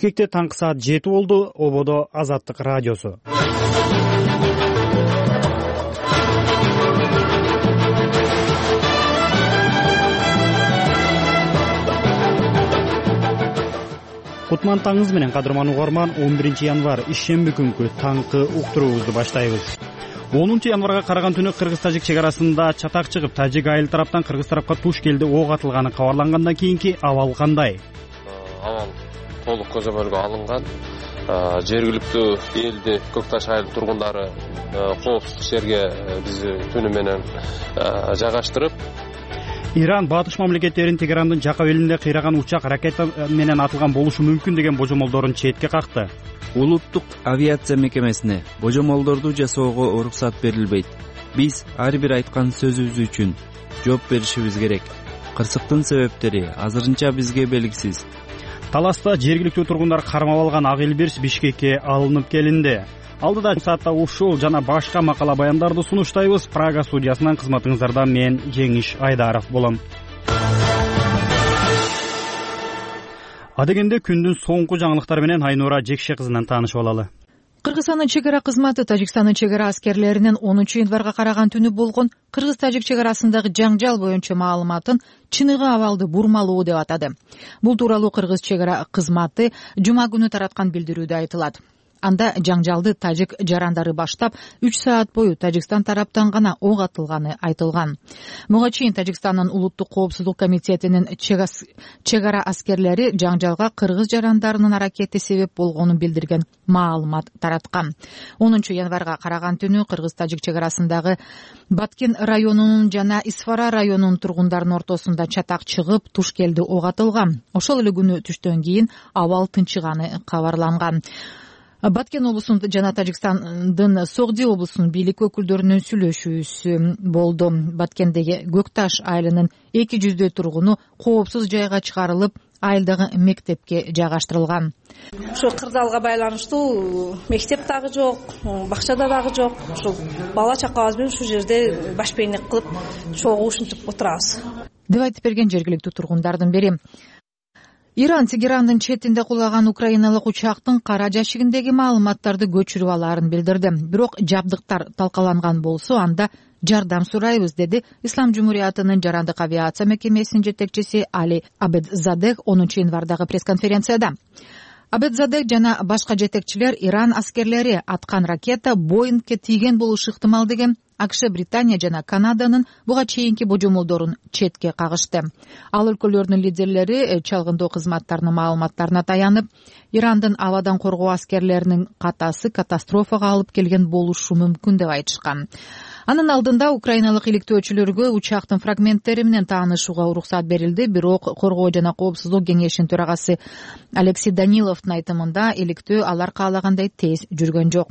Бишкекте таңкы саат 7 болду. Ободо Азаттык радиосу. Кутман таңыңыз менен, кадырман угарман. 11 январь ишемби күнкү таңкы уктуруубузду баштайбыз. 10 январга караган түнү кыргыз-тажик чек арасында чатак чыгып, тажик айыл тараптан кыргыз тарапка туш келди ок атылганы кабарлангандан кийинки абал кандай? Абал толук көзөмөлгө алынган. Жергиликтүү элди, Көкташ айыл тургундары коопсуздук жерге бизди түнү менен жайгаштырып, Иран батыш мамлекеттерин Тегерандын жакка белинде кыйраган учак ракета менен атылган болушу мүмкүн деген божомолдорун четке какты. Улуттук авиация мекемесине божомолдорду жасоого уруксат берилбейт. Биз ар бир айткан сөзүбүз үчүн жооп беришибиз керек. Кырсыктын себептери азырынча бизге белгисиз. Таласта жергиликтүү тургундар кармап алган ак элбирс Бишкекке алынып келинди. Алдыда саатта ушул жана башка макала баяндарды сунуштайбыз. Прага студиясынан кызматыңыздарда мен Жеңиш Айдаров болом. Адегенде күндүн соңку жаңылыктары менен Айнура Жекше кызынан таанышып алалы. Кыргызстандын чек ара кызматы Тажикстандын чек ара аскерлеринин 10 январга караган түнү болгон кыргыз-тажик чек арасындагы жаңжал боюнча маалыматын чыныгы абалды бурмалоо деп атады. Бул тууралуу кыргыз чек ара кызматы жума күнү тараткан билдирүүдө айтылат. Анда жаңжалды тажик жарандары баштап 3 саат бою Тажикстан тараптан гана ок атылганы айтылган. Буга чейин Тажикстандын улуттук коопсуздук комитетинин чек ара аскерлери жаңжалга кыргыз жарандарынын аракети себеп болгонун билдирген маалымат тараткан. 10 январга караган түнү кыргыз-тажик чек арасындагы Баткен районунун жана Исфара районунун тургундарынын ортосунда чатак чыгып, туш келди ок атылган. Ошол эле күнү түштөн кийин абал тынчыганы кабарланган. Баткен облусунун жана Тажикстандын Согди облусунун бийлик өкүлдөрүнүн сүйлөшүүсү болду. Баткендеги Көкташ айылынын 200 тургуну коопсуз жайга чыгарылып, айылдагы мектепке жайгаштырылган. Ошо кырдаалга байланыштуу мектеп дагы жок, бакчада дагы жок. Ошол бала чакабыз менен ушул жерде башпейнек кылып, чогуу ушинтип отурабыз, деп айтып берген жергиликтүү тургундардын бири. Иран Тегерандын четинде кулаган украиналык учактын кара жашигиндеги маалыматтарды көчүрүп алаарын билдирди. Бирок жабдыктар талкаланган болсо, анда жардам сурайбыз, деди Ислам Жумуриятынын жарандык авиация мекемесинин жетекчиси Али Абедзадех 10 январдагы пресс-конференцияда. Абедзадех жана башка жетекчилер Иран аскерлери аткан ракета Боингке тийген болушу ыктымал деген АКШ, Британия жана Канаданын буга чейинки божомолдорун четке кагышты. Ал өлкөлөрдүн лидерлери чалгындоо кызматтарынын маалыматтарына таянып, Ирандын абадан коргоо аскерлеринин катасы катастрофага алып келген болушу мүмкүн деп айтышкан. Анын алдында украиналык иликтөөчүлөргө учактын фрагменттери менен таанышууга уруксат берилди, бирок коргоо жана коопсуздук кеңешинин төрагасы Алексей Даниловдун айтымында иликтөө алар каалагандай тез жүргөн жок.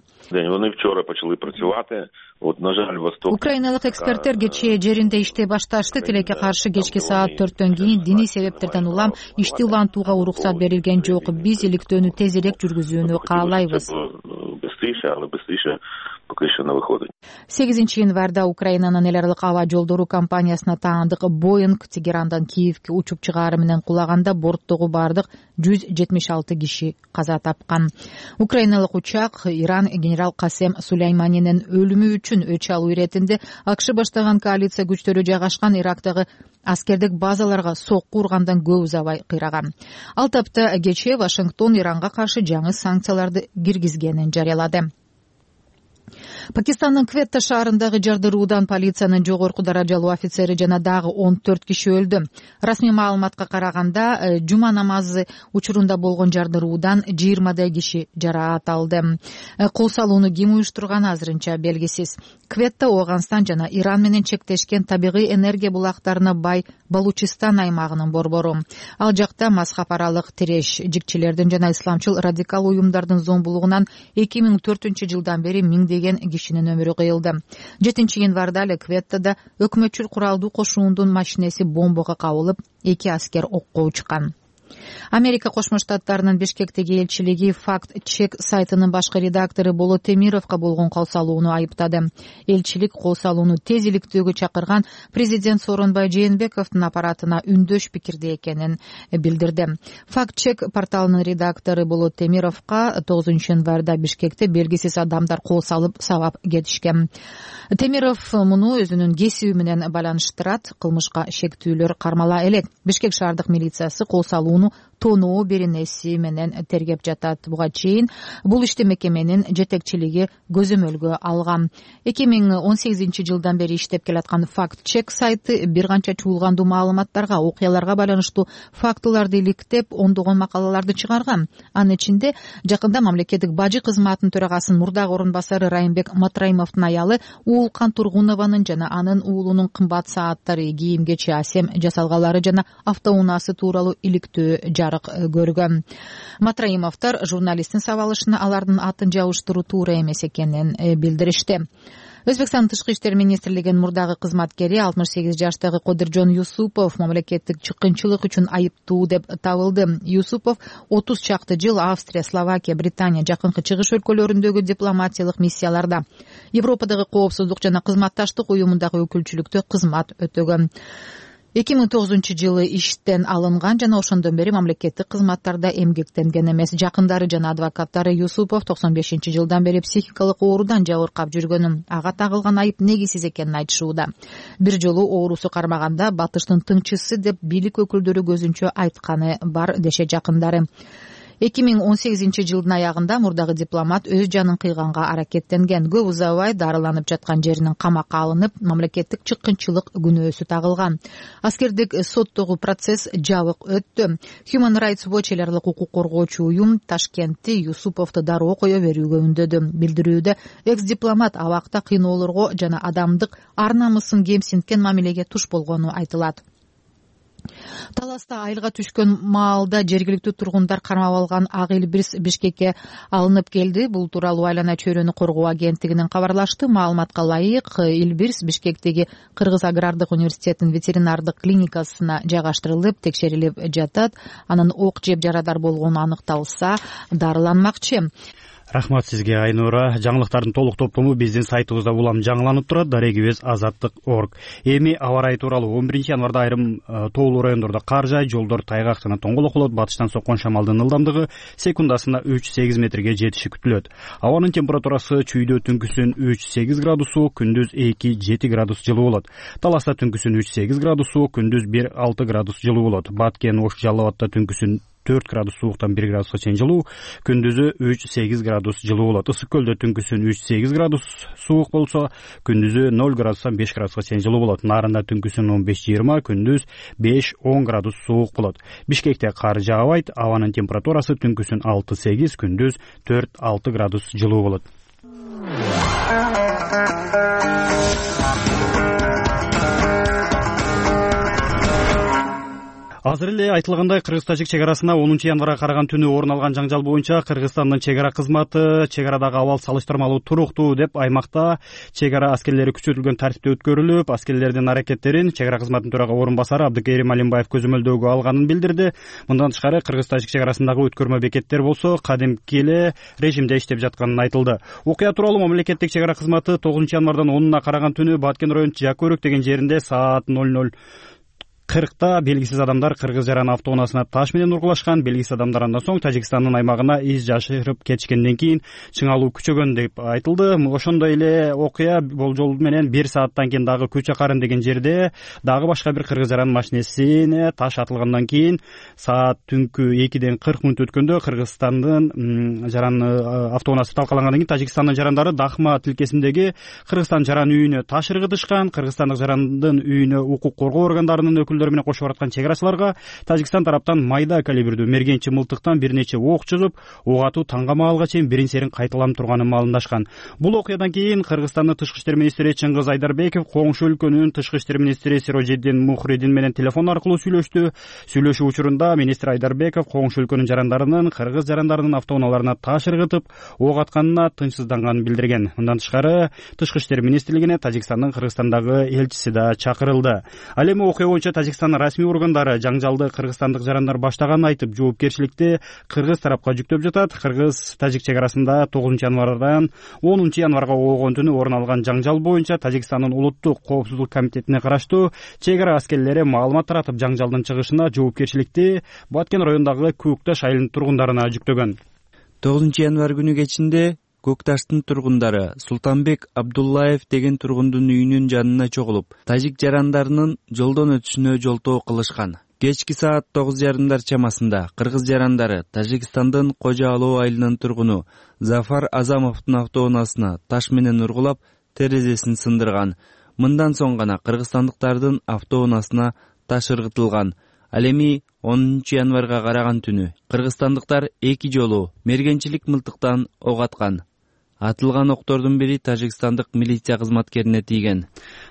Украиналык эксперттер кечээ жеринде иштей башташты. Тилекке каршы кечки саат 4төн кийин диний себептерден улам ишти улантууга уруксат берилген жок. Биз иликтөөнү тезирээк жүргүзүүнү каалайбыз. 8 январда Украинанын эл аралык аба жолдору компаниясына таандык Боинг Тегерандан Киевке учуп чыгаары менен кулаганда борттогу бардык 176 киши каза тапкан. Украиналык учак Иран генерал Касем Сулейманинин өлүмү үчүн өч алуу иретинде АКШ баштаган коалиция күчтөрү жайгашкан Ирактагы аскердик базаларга сокку ургандан көп узабай кыйраган. Ал тапта кечээ Вашингтон Иранга каршы жаңы санкцияларды киргизгенин жарыялады. Пакистандын Кветта шаарындагы жардыруудан полициянын жогорку даражалуу офицери жана дагы 14 киши өлдү. Расмий маалыматка караганда, жума намазы учурунда болгон жардыруудан 20 киши жараат алды. Кол салууну ким уюштурганы азырынча белгисиз. Кветта Ооганстан жана Иран менен чектешкен табигый энергия булактарына бай Балучистан аймагынын борбору. Ал жакта мазхаб аралык тиреш жикчилердин жана исламчыл радикал уюмдардын зомбулугунан 2004 жылдан бери миңдеген кишинин өмүрү кыйылды. 7 январда эле Кветтада өкмөтчүл куралдуу кошуундун машинеси бомбага кабылып, 2 аскер окко учкан. Америка Кошмо Штаттарынын Бишкектеги элчилиги Факт Чек сайтынын башкы редактору Болот Темировго болгон кол салууну айыптады. Элчилик кол салууну тез иликтөөгө чакырган президент Сооронбай Жээнбековдун аппаратына үндөш пикирде экенин билдирди. Факт Чек порталынын редактору Болот Темировго 9 январда Бишкекте белгисиз адамдар кол салып сабап кетишкен. Темиров муну өзүнүн кесиби менен байланыштырат. Кылмышка шектүүлөр кармала элек. Бишкек шаардык милициясы кол салууну тоноо беренеси менен тергеп жатат. Буга чейин бул ишти мекеменин жетекчилиги көзөмөлгө алган. 2018 жылдан бери иштеп келаткан Факт Чек сайты бир канча чуулгандуу маалыматтарга, окуяларга байланыштуу фактыларды иликтеп, ондогон макалаларды чыгарган. Анын ичинде жакында мамлекеттик бажы кызматынын төрагасынын мурдагы орун басары Райымбек Матраимовдун аялы Уулкан Тургунованын жана анын уулунун кымбат сааттары, кийим-кечи, асем жасалгалары жана автоунаасы тууралуу иликтөө жарык көргөн. Матраимовдор журналисттин сабалышына алардын атын жабыштыруу туура эмес экенин билдиришти. Өзбекстандын тышкы иштер министрлигинин мурдагы кызматкери 68 жаштагы Кодиржон Юсупов мамлекеттик чыккынчылык үчүн айыптуу деп табылды. Юсупов 30 чакты жыл Австрия, Словакия, Британия, жакынкы чыгыш өлкөлөрүндөгү дипломатиялык миссияларда, Европадагы коопсуздук жана кызматташтык уюмундагы өкүлчүлүктө кызмат өтөгөн. 2009 жылы иштен алынган жана ошондон бери мамлекеттик кызматтарда эмгектенген эмес. Жакындары жана адвокаттары Юсупов 95 жылдан бери психикалык оорудан жабыркап жүргөнүн, ага тагылган айып негизсиз экенин айтышууда. Бир жолу оорусу кармаганда батыштын тыңчысы деп бийлик өкүлдөрү көзүнчө айтканы бар деше жакындары. 2018 жылдын аягында мурдагы дипломат өз жанын кыйганга аракеттенген. Көп узабай дарыланып жаткан жеринин камакка алынып, мамлекеттик чыккынчылык күнөөсү тагылган. Аскердик соттогу процесс жабык өттү. Human Rights Watch эларлык укук коргоочу уюм Ташкентти Юсуповду дароо кое берүүгө үндөдү. Билдирүүдө экс-дипломат абакта кыйноолорго жана адамдык ар-намысын кемсинткен мамилеге туш болгону айтылат. Таласта айылга түшкөн маалда жергиликтүү тургундар кармап алган ак Элбирс Бишкекке алынып келди. Бул тууралуу Айлана чөйрөнү коргоо агенттигинин кабарлашты. Маалыматка ылайык, Элбирс Бишкектеги Кыргыз агрардык университетинин ветеринардык клиникасына жайгаштырылып, текшерилип жатат. Анын ок жеп жарадар болгону аныкталса, дарыланмакчы. Рахмат сизге, Айнура. Жаңылыктардын толук топтому биздин сайтыбызда улам жаңыланып турат. Дарегибиз azatlyk.org. Эми аба ырайы тууралуу 11 январда айрым тоолуу райондордо кар жаайт, жолдор тайгак жана тоңголок болот. Батыштан соккон шамалдын ылдамдыгы секундасына 3-8 метрге жетиши күтүлөт. Абанын температурасы чүйдө түнкүсүн 3-8 градус суук, күндүз 2-7 градус жылуу болот. Таласта түнкүсүн 3-8 градус суук, күндүз 1-6 градус жылуу болот. Баткен, Ош, Жалал Абадта түнкүсүн 4 градус сууктан 1 градуска чейин жылуу, күндүзү 3-8 градус жылуу болот. Ысык көлдө түнкүсүн 3-8 градус суук болсо, күндүзү 0 градустан 5 градуска чейин жылуу болот. Нарында түнкүсүн 15-20, күндүз 5-10 градус суук болот. Бишкекте кар жаабайт, абанын температурасы түнкүсүн 6-8, күндүз 4-6 градус жылуу болот. Азыр эле айтылгандай, кыргыз-тажик чек арасына 10 январга караган түнү орун алган жаңжал боюнча Кыргызстандын чек ара кызматы чек арадагы абал салыштырмалуу туруктуу деп аймакта чек ара аскерлери күчөтүлгөн тартипте өткөрүлүп, аскерлердин аракеттерин чек ара кызматынын төрага орун басары Абдыкерим Алимбаев көзөмөлдөөгө алганын билдирди. Мындан тышкары Кыргыз-тажик чек арасындагы өткөрмө бекеттер болсо кадимки эле режимде иштеп жатканын айтылды. Окуя тууралуу мамлекеттик чек ара кызматы 9 январдан 10-уна караган түнү Баткен району Жакөрөк деген жеринде саат 00:40 белгисиз адамдар кыргыз жаран автоунаасына таш менен ургулашкан. Белгисиз адамдар андан соң Тажикстандын аймагына из жашырып кетишкенден кийин чыңалуу күчөгөн деп айтылды. Ошондой эле окуя болжол менен 1 сааттан кийин дагы Күч Акарын деген жерде дагы башка бир кыргыз жаран машинесине таш атылгандан кийин саат түнкү 2ден 40 мүнөт өткөндө Кыргызстандын жаран автоунаасы талкалангандан кийин Тажикстандын жарандары Дахма тилкесиндеги Кыргызстан жаран үйүнө таш ыргытышкан. Кыргызстандык жарандын үйүнө укук коргоо органдарынын менен кошуп бараткан чек арачыларга Тажикстан тараптан майда калибрдүү мергенчи мылтыктан бир нече ок чыгып, ок атуу таңга маалга чейин бирин-серин кайталанып турганын маалымдашкан. Бул окуядан кийин Кыргызстандын тышкы иштер министри Чыңгыз Айдарбеков коңшу өлкөнүн тышкы иштер министри Сирожиддин Мухридин менен телефон аркылуу сүйлөштү. Сүйлөшүү учурунда министр Айдарбеков коңшу өлкөнүн жарандарынын кыргыз жарандарынын автоунааларына таш ыргытып, ок атканына тынчсызданганын билдирген. Мындан тышкары тышкы иштер министрлигине Тажикстандын Кыргызстандагы элчиси да чакырылды. Ал эми окуя боюнча Тажикстандын расмий органдары жаңжалды кыргызстандык жарандар баштаганын айтып, жоопкерчиликти кыргыз тарапка жүктөп жатат. Кыргыз-тажик чек арасында 9 январдан 10 январга болгон түнү орун алган жаңжал боюнча Тажикстандын улуттук коопсуздук комитетине караштуу чек ара аскерлери маалымат таратып, жаңжалдын чыгышына жоопкерчиликти Баткен районундагы Көкташ айылынын тургундарына жүктөгөн. 9 январ күнү кечинде Көкташтын тургундары Султанбек Абдуллаев деген тургундун үйүнүн жанына чогулуп, тажик жарандарынын жолдон өтүшүнө жолтоо кылышкан. Кечки саат 9:30 чамасында кыргыз жарандары Тажикстандын Кожо Алоо айылынын тургуну Зафар Азамовдун автоунаасына таш менен ургулап, терезесин сындырган. Мындан соң гана кыргызстандыктардын автоунаасына таш ыргытылган. Ал эми 10 январга караган түнү кыргызстандыктар 2 жолу мергенчилик мылтыктан ок аткан. Атылган октордун бири тажикстандык милиция кызматкерине тийген.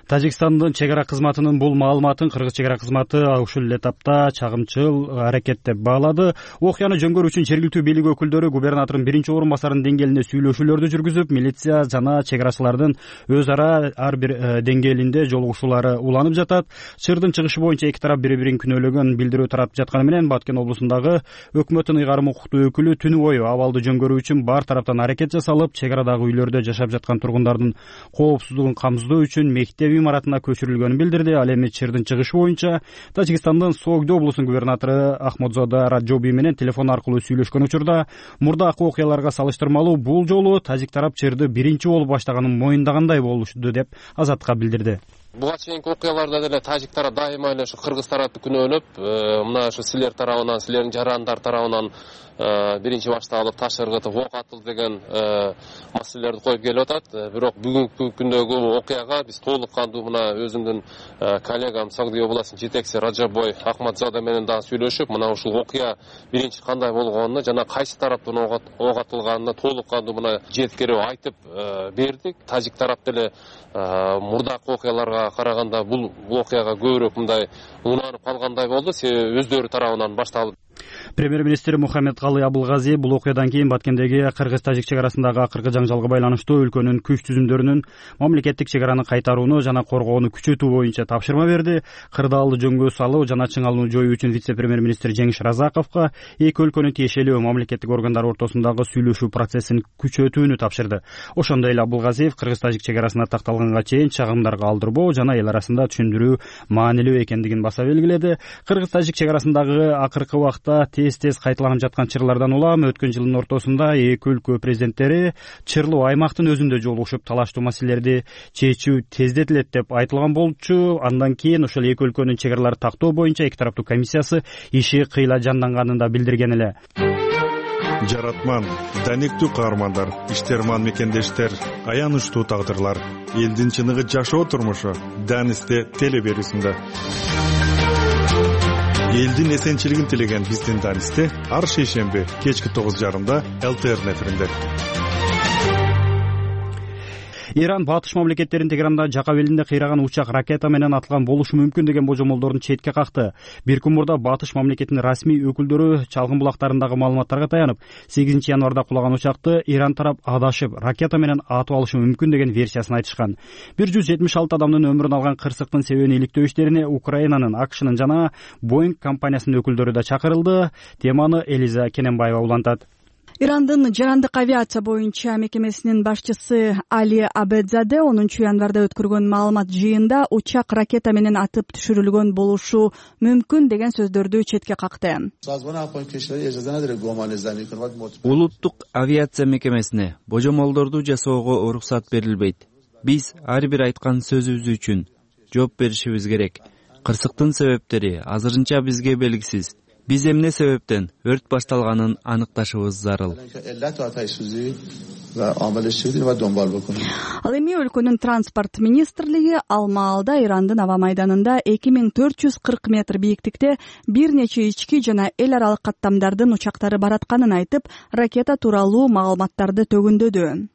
Тажикстандын чек ара кызматынын бул маалыматын кыргыз чек ара кызматы ушул эле тапта чагымчыл аракет деп баалады. Окуяны жөнгөрүү үчүн жергиликтүү бийлик өкүлдөрү губернатордун биринчи орун басарынын деңгээлинде сүйлөшүүлөрдү жүргүзүп, милиция жана чек арачылардын өз ара ар бир деңгээлинде жолугушуулары уланып жатат. Чырдын чыгышы боюнча эки тарап бири-бирин күнөөлөгөн билдирүү таратып жатканы менен Баткен облусундагы өкмөттүн ыйгарым укуктуу өкүлү түнү бою абалды жөнгөрүү үчүн бар тараптан аракет жасалып, чек арадагы үйлөрдө жашап жаткан тургундардын коопсуздугун камсыздоо үчүн мектеп имаратына көчүрүлгөнүн билдирди. Ал эми чырдын чыгышы боюнча Тажикстандын Согдо облусунун губернатору Ахмадзода Раджоби менен телефон аркылуу сүйлөшкөн учурда мурдакы окуяларга салыштырмалуу бул жолу тажик тарап чырды биринчи болуп баштаганын моюндагандай болушту деп Азаттыкка билдирди. Буга чейинки окуяларда деле тажик тарап дайыма эле ушу кыргыз тарапты күнөөлөп, мына ушу силер тарабынан, силердин жарандар тарабынан биринчи башталып таш ыргытып ок атылды деген маселелерди коюп келип атат. Бирок бүгүнкү күндөгү окуяга биз толук кандуу мына өзүмдүн коллегам Согдо областынын жетекчиси Раджабой Ахмадзода менен дагы сүйлөшүп, мына ушул окуя биринчи кандай болгонуна жана кайсы тараптан ок атылганына толук кандуу мына жеткирип айтып бердик. Тажик тарап деле мурдакы окуяларга караганда бул окуяга көбүрөөк мындай унанып калгандай болду, себеби өздөрү тарабынан башталып. Премьер-министр Мухаммедкалый Абылгази бул окуядан кийин Баткендеги кыргыз-тажик чек арасындагы акыркы жаңжалга байланыштуу өлкөнүн күч түзүмдөрүнүн мамлекеттик чек араны кайтарууну жана коргоону күчөтүү боюнча тапшырма берди. Кырдаалды жөнгө салуу жана чыңалууну жоюу үчүн вице-премьер-министр Жеңиш Разаковго эки өлкөнүн тиешелүү мамлекеттик органдары ортосундагы сүйлөшүү процессин күчөтүүнү тапшырды. Ошондой эле Абылгазиев кыргыз-тажик чек арасына такталганга чейин чагымдарга алдырбоо жана эл арасында түшүндүрүү маанилүү экендигин баса белгиледи. Кыргыз-тажик чек арасындагы акыркы убакта тез кайталанып жаткан чырлардан улам өткөн жылдын ортосунда эки өлкө президенттери чырлуу аймактын өзүндө жолугушуп талаштуу маселелерди чечүү тездетилет деп айтылган болчу. Андан кийин ошол эки өлкөнүн чек араларын тактоо боюнча эки тараптуу комиссиясы иши кыйла жанданганын да билдирген эле. Жаратман, даниктүү каармандар, иштерман мекендештер, аянычтуу тагдырлар, элдин чыныгы жашоо турмушу Данисте теле берүүсүндө. Элдин эсенчилигин тилеген биздин Данисте ар шейшемби кечки 9:30 ЛТР эфиринде. Иран батыш мамлекеттерин Тегеранда жака белинде кыйраган учак ракета менен атылган болушу мүмкүн деген божомолдорун четке какты. Бир күн мурда батыш мамлекетинин расмий өкүлдөрү чалгын булактарындагы маалыматтарга таянып, 8 январда кулаган учакты Иран тарап адашып, ракета менен атып алышы мүмкүн деген версиясын айтышкан. 176 адамдын өмүрүн алган кырсыктын себебин иликтөө иштерине Украинанын, AQShnын жана Boeing компаниясынын өкүлдөрү да чакырылды. Теманы Элиза Кененбаева улантат. Ирандын жарандык авиация боюнча мекемесинин башчысы Али Абедзаде 10 январда өткөргөн маалымат жыйында учак ракета менен атып түшүрүлгөн болушу мүмкүн деген сөздөрдү четке какты. Улуттук авиация мекемесине божомолдорду жасоого уруксат берилбейт. Биз ар бир айткан сөзүбүз үчүн жооп беришибиз керек. Кырсыктын себептери азырынча бизге белгисиз. Биз эмне себептен өрт башталганын аныкташыбыз зарыл. Ал эми өлкөнүн транспорт министрлиги ал маалда Ирандын аба майданында 2440 метр бийиктикте бир нече ички жана эл аралык каттамдардын учактары баратканын айтып, ракета тууралуу маалыматтарды төгүндөдү.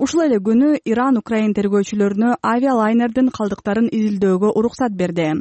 Ушул эле күнү Иран Украин тергөөчүлөрүнө авиалайнердин калдыктарын изилдөөгө уруксат берди.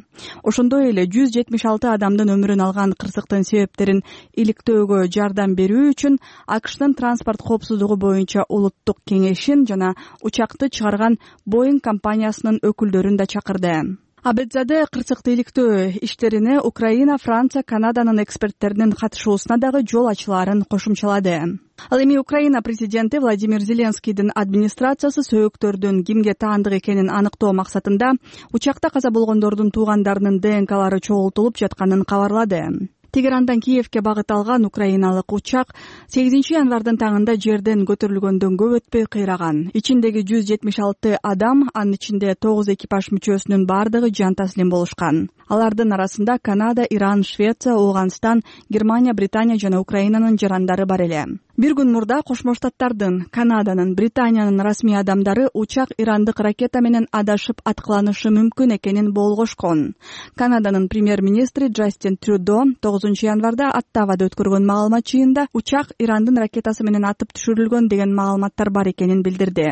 Ошондой эле 176 адамдын өмүрүн алган кырсыктын себептерин иликтөөгө жардам берүү үчүн AQShnын транспорт коопсуздугу боюнча улуттук кеңешин жана учакты чыгарган Boeing компаниясынын өкүлдөрүн да чакырды. Абедзаде кырсыкты иликтөө иштерине Украина, Франция, Канаданын эксперттеринин катышуусуна дагы жол ачылаарын кошумчалады. Ал эми Украина президенти Владимир Зеленскийдин администрациясы сөөгүттөрдүн кимге таандык экенин аныктоо максатында учакта каза болгондордун туугандарынын ДНКлары чогултулуп жатканын кабарлады. Тегерандан Киевке багыт алган украиналык учак 8 январдын таңында жерден көтөрүлгөндөн көп өтпөй кыйраган. Ичиндеги 176 адам, анын ичинде 9 экипаж мүчөсүнүн бардыгы жан таслим болушкан. Алардын арасында Канада, Иран, Швеция, Ооганстан, Германия, Британия жана Украинанын жарандары бар эле. Бир күн мурда Кошмо Штаттардын, Канаданын, Британиянын расмий адамдары учак ирандык ракета менен адашып аткыланышы мүмкүн экенин болгошкон. Канаданын премьер-министри Джастин Трюдо 9 январда Оттавада өткөргөн маалымат жыйында учак Ирандын ракетасы менен атып түшүрүлгөн деген маалыматтар бар экенин билдирди.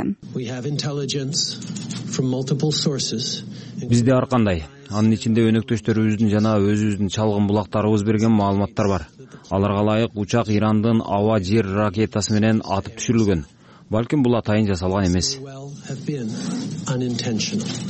Бизде ар кандай, анын ичинде өнөктөштөрүбүздүн жана өзүбүздүн чалгын булактарыбыз берген маалыматтар бар. Аларга ылайык учак Ирандын аба-жер ракетасы менен атып түшүрүлгөн. Балким бул атайын жасалган эмес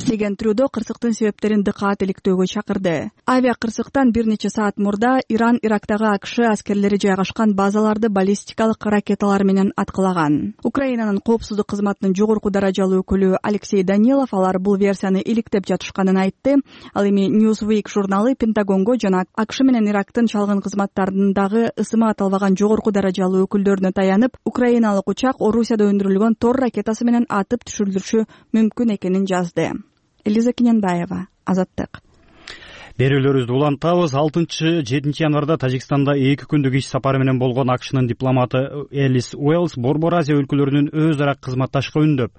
деген Трюдо кырсыктын себептерин дыкаат иликтөөгө чакырды. Авиа кырсыктан бир нече саат мурда Иран Ирактагы АКШ аскерлери жайгашкан базаларды баллистикалык ракеталар менен аткылаган. Украинанын коопсуздук кызматынын жогорку даражалуу өкүлү Алексей Данилов алар бул версияны иликтеп жатышканын айтты. Ал эми Newsweek журналы Пентагонго жана АКШ менен Ирактын чалгын кызматтарындагы ысымы аталбаган жогорку даражалуу өкүлдөрүнө таянып, украиналык учак Орусияда өндүрүлгөн Тор ракетасы менен атып түшүрүлүшү мүмкүн экенин жазды. Элиза Кененбаева, Азаттык. Берүүлөрүбүздү улантабыз. 6-7 январда Тажикстанда 2 күндүк иш сапары менен болгон АКШнын дипломаты Элис Уэллс Борбор Азия өлкөлөрүнүн өз ара кызматташкы үндөп,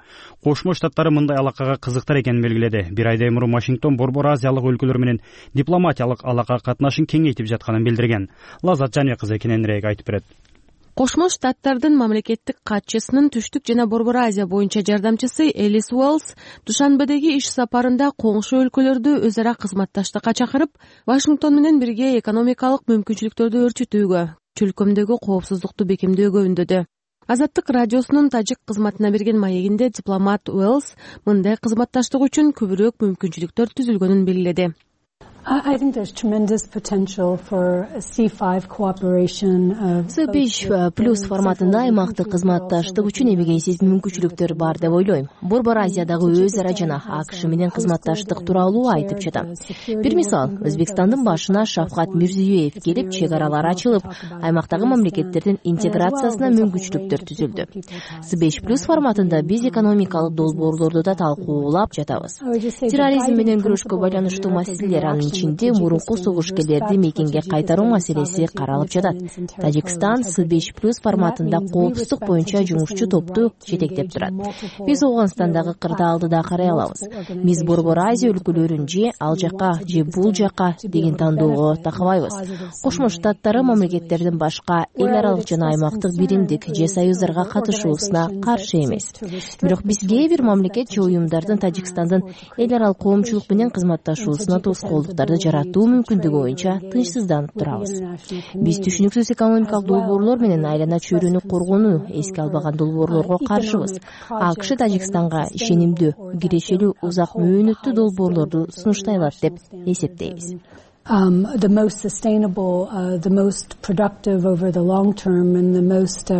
Кошмо Штаттары мындай алакага кызыктар экенин белгиледи. Бир айдай мурун Вашингтон Борбор Азиялык өлкөлөр менен дипломатиялык алака катнашын кеңейтип жатканын билдирген. Лазат Жания кызы кененирээк айтып берет. Кошмо Штаттардын мамлекеттик катчысынын түштүк жана Борбор Азия боюнча жардамчысы Элис Уэллс Душанбедеги иш сапарында коңшу өлкөлөрдү өз ара кызматташтыкка чакырып, Вашингтон менен бирге экономикалык мүмкүнчүлүктөрдү өрчүтүүгө, чөлкөмдөгү коопсуздукту бекемдөөгө үндөдү. Азаттык радиосунун тажик кызматына берген маегинде дипломат Уэллс мындай кызматташтык үчүн көбүрөөк мүмкүнчүлүктөр түзүлгөнүн белгиледи. C5+ форматында аймактык кызматташтык үчүн эбегейсиз мүмкүнчүлүктөр бар деп ойлойм. Борбор Азиядагы өз ара жана АКШ менен кызматташтык тууралуу айтып жатам. Бир мисал, Өзбекстандын башына Шавкат Мирзиёев келип, чек аралар ачылып, аймактагы мамлекеттердин интеграциясына мүмкүнчүлүктөр түзүлдү. C5+ форматында биз экономикалык долбоорлорду да талкуулап жатабыз. Терроризм менен күрөшкө байланыштуу маселелер, анын ичинде мурунку согушкерлерди мекенге кайтаруу маселеси каралып жатат. Тажикстан C5+ форматында коопсуздук боюнча жумушчу топту жетектеп турат. Биз Ооганстандагы кырдаалды да карай алабыз. Биз Борбор Азия өлкөлөрүн же ал жака же бул жака деген тандоого такабайбыз. Кошмо Штаттары мамлекеттердин башка эл аралык жана аймактык биримдик же союздарга катышуусуна каршы эмес. Бирок биз кээ бир мамлекет же уюмдардын Тажикстандын эл аралык коомчулук менен кызматташуусуна тоскоолдуктарды жаратуу мүмкүндүгү боюнча тынчсызданып турабыз. Биз түшүнүксүз экономикалык долбоорлор менен айлана чөйрөнү коргонуу эске албаган долбоорлорго каршыбыз. АКШ Тажикстанга ишенимдүү, кирешелүү, узак мөөнөттүү долбоорлорду сунуштай алат деп эсептейбиз. The most sustainable, the most productive over the long term, and the most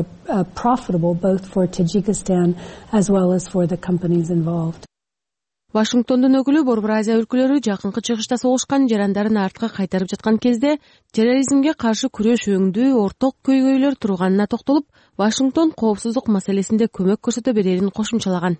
profitable both for Tajikistan as well as for the companies involved. Вашингтондун өкүлү Борбор Азия өлкөлөрү жакынкы чыгышта согушкан жарандарын артка кайтарып жаткан кезде терроризмге каршы күрөш өңдүү орток көйгөйлөр турганына токтолуп, Вашингтон коопсуздук маселесинде көмөк көрсөтө берерин кошумчалаган.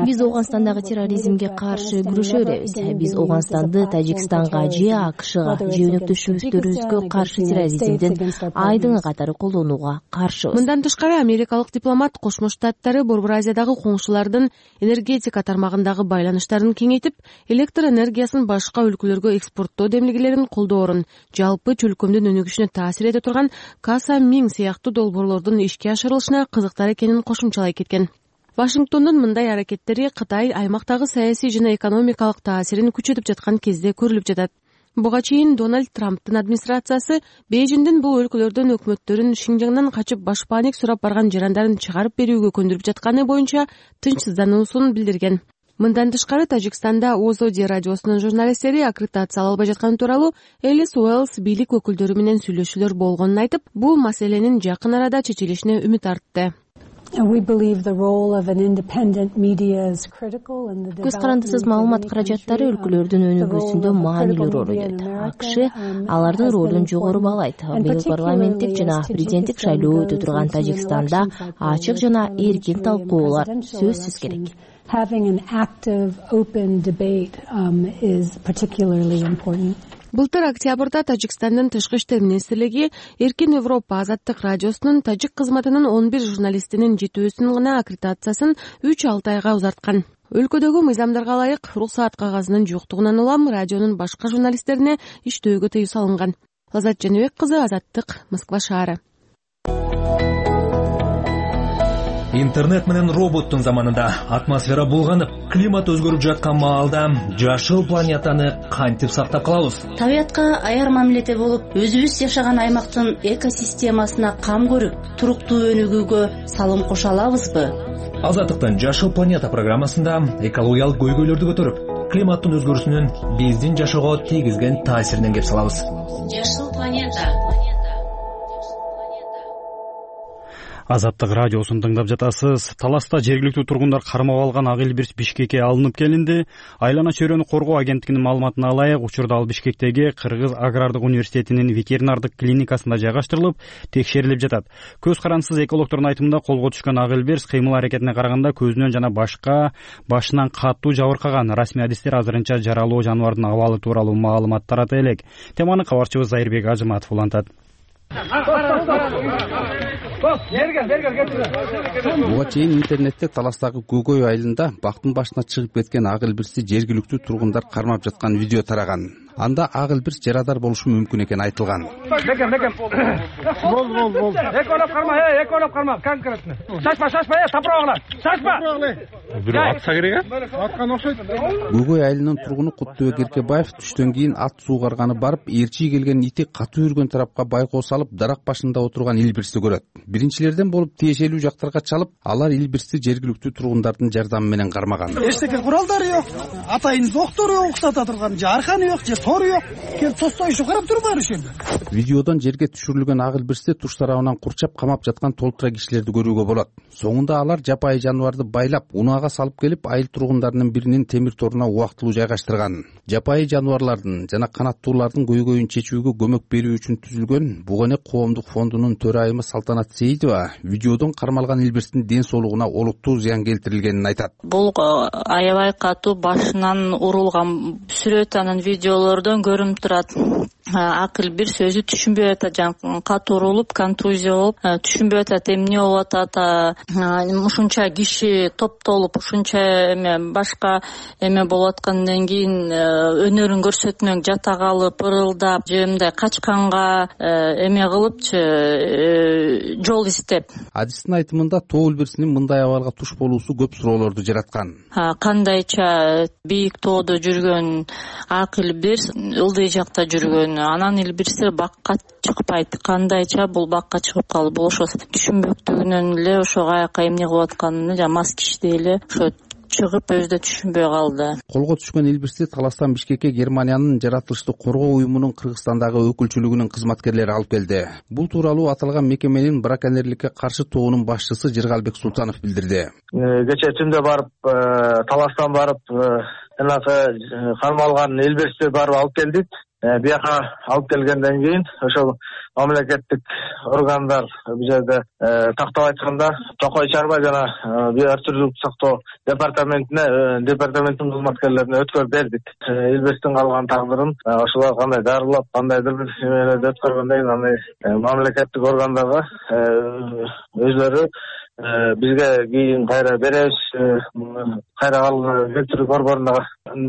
Биз Ооганстандагы терроризмге каршы күрөшө беребиз. Биз Ооганстанды Тажикстанга же АКШга же өнөктөшүбүздөрүбүзгө каршы терроризмдин айдыңы катары колдонууга каршыбыз. Мындан тышкары америкалык дипломат Кошмо Штаттары Борбор Азиядагы коңшулардын энергетика тармагындагы байланыштарын кеңейтип, электр энергиясын башка өлкөлөргө экспорттоо демилгелерин колдоорун, жалпы чөлкөмдүн өнүгүшүнө таасир эте турган Каса Миң сыяктуу долбоорлордун ишке ашырылышына кызыктар экенин кошумчалай кеткен. Вашингтондун мындай аракеттери Кытай аймактагы саясий жана экономикалык таасирин күчөтүп жаткан кезде көрүлүп жатат. Буга чейин Дональд Трамптын администрациясы Бейжиңдин бул өлкөлөрдөн өкмөттөрүн Шинжаңдан качып башпаанек сурап барган жарандарын чыгарып берүүгө көндүрүп жатканы боюнча тынчсыздануусун билдирген. Мындан тышкары Тажикстанда Озоди радиосунун журналисттери аккредитация албай жатканы тууралуу Элис Уэллс бийлик өкүлдөрү менен сүйлөшүүлөр болгонун айтып, бул маселенин жакын арада чечилишине үмүт артты. Көз карандысыз маалымат каражаттары өлкөлөрдүн өнүгүүсүндө маанилүү роль ойнойт. АКШ алардын ролун жогору баалайт. Быйыл парламенттик жана президенттик шайлоо өтө турган Тажикстанда ачык жана эркин талкуулар сөзсүз керек. Having an active, open debate is particularly important. Былтыр октябрда Тажикстандын тышкы иштер министрлиги Эркин Европа азаттык радиосунун тажик кызматынын 11 журналистинин жетүүсүн гана аккредитациясын 3-6 айга узарткан. Өлкөдөгү мыйзамдарга ылайык уруксаат кагазынын жоктугунан улам радионун башка журналисттерине иштөөгө тыюу салынган. Лазат Жаныбек кызы, Азаттык, Москва шаары. Интернет менен роботтун заманында атмосфера булганып, климат өзгөрүп жаткан маалда жашыл планетаны кантип сактап калабыз? Табиятка аяр мамиледе болуп, өзүбүз жашаган аймактын экосистемасына кам көрүп, туруктуу өнүгүүгө салым кошо алабызбы? Азаттыктын Жашыл планета программасында экологиялык көйгөйлөрдү көтөрүп, климаттын өзгөрүүсүнүн биздин жашоого тийгизген таасиринен кеп салабыз. Жашыл планета. Азаттык радиосун тыңдап жатасыз. Таласта жергиликтүү тургундар кармап алган ак илбирс Бишкекке алынып келинди. Айлана чөйрөнү коргоо агенттигинин маалыматына ылайык, учурда ал Бишкектеги Кыргыз агрардык университетинин ветеринардык клиникасында жайгаштырылып, текшерилип жатат. Көз карандысыз экологдордун айтымында колго түшкөн ак илбирс кыймыл аракетине караганда көзүнөн жана башынан катуу жабыркаган. Расмий адистер азырынча жаралуу жаныбардын абалы тууралуу маалымат тарата элек. Теманы кабарчыбыз Зайырбек Ажыматов улантат. Буга чейин интернетте Таластагы Көкөй айылында бактын башына чыгып кеткен ак илбирсти жергиликтүү тургундар кармап жаткан видео тараган. Анда ак илбирс жарадар болушу мүмкүн экени айтылган. Бол. Эколоп карма, конкретно. Шашпа, тапырагыла. Шашпа. Бирөө атса керек, Аткан окшойт. Көкөй айылынын тургуну Куттубек Эркебаев түштөн кийин ат суугарганы барып, ээрчи келген ити катуу үргөн тарапка байкоо салып, дарак башында отурган илбирсти көрөт. Биринчилерден болуп тиешелүү жактарга чалып, алар илбирсти жергиликтүү тургундардын жардамы менен кармаган. Эчтеке куралдары жок, атайын доктору уктата турган жарканы жок, же тору жок. Келип тостоюшу карап турбайбы ошондо? Видеодон жерге түшүрүлгөн ак илбирсти туш тарабынан курчап камап жаткан толтура кишилерди көрүүгө болот. Соңунда алар жапайы жаныбарды байлап, унаага салып келип, айыл тургундарынын биринин темир торуна убактылуу жайгаштырган. Жапайы жаныбарлардын жана канаттуулардын көйгөйүн чечүүгө көмөк берүү үчүн түзүлгөн Бугоне коомдук фондунун төрайымы Салтанат Сейитова видеодон кармалган илбирстин ден соолугуна олуттуу зыян келтирилгенин айтат. Бул аябай катуу башынан урулган сүрөт анын видеолордон көрүнүп турат. Ак илбирс өзү түшүнбөй атат, жана катуу урулуп, контузия болуп, түшүнбөй атат, эмне болуп атат, ушунча киши топтолуп, ушунча башка эме болуп аткандан кийин өнөрүн көрсөтмөк жата калып, ырылдап, же мындай качканга эме кылыпчы, жол издеп. Адистин айтымында тоо илбирсинин мындай абалга туш болуусу көп суроолорду жараткан. Кандайча бийик тоодо жүргөн ак илбирс ылдый жакта жүргөн, анан илбирстер бакка чыкпайт. Кандайча бул бакка чыгып калды. Бул ошо түшүнбөктүгүнөн эле ошо каяка эмне кылып атканын жана мас кишидей эле ошо чыгып өзү да түшүнбөй калды. Колго түшкөн илбирсти Таластан Бишкекке Германиянын жаратылышты коргоо уюмунун Кыргызстандагы өкүлчүлүгүнүн кызматкерлери алып келди. Бул тууралуу аталган мекеменин браконьерликке каршы тобунун башчысы Жыргалбек Султанов билдирди. Кече түндө барып, Таластан барып, кармалган илбирсти барып алып келдик. Бияка алып келгенден кийин ошол мамлекеттик органдар бул жерде тактап айтканда Токой чарба жана био түрдүк сактоо департаменттин кызматкерлерине өткөрүп бердик. Илбирстин калган тагдырын ошолор кандай дарылап, кандайдыр бир эмелерди өткөргөндөн кийин аны мамлекеттик органдарга өзлөрү бизге кийин кайра беребиз, кайра келтирип борборуна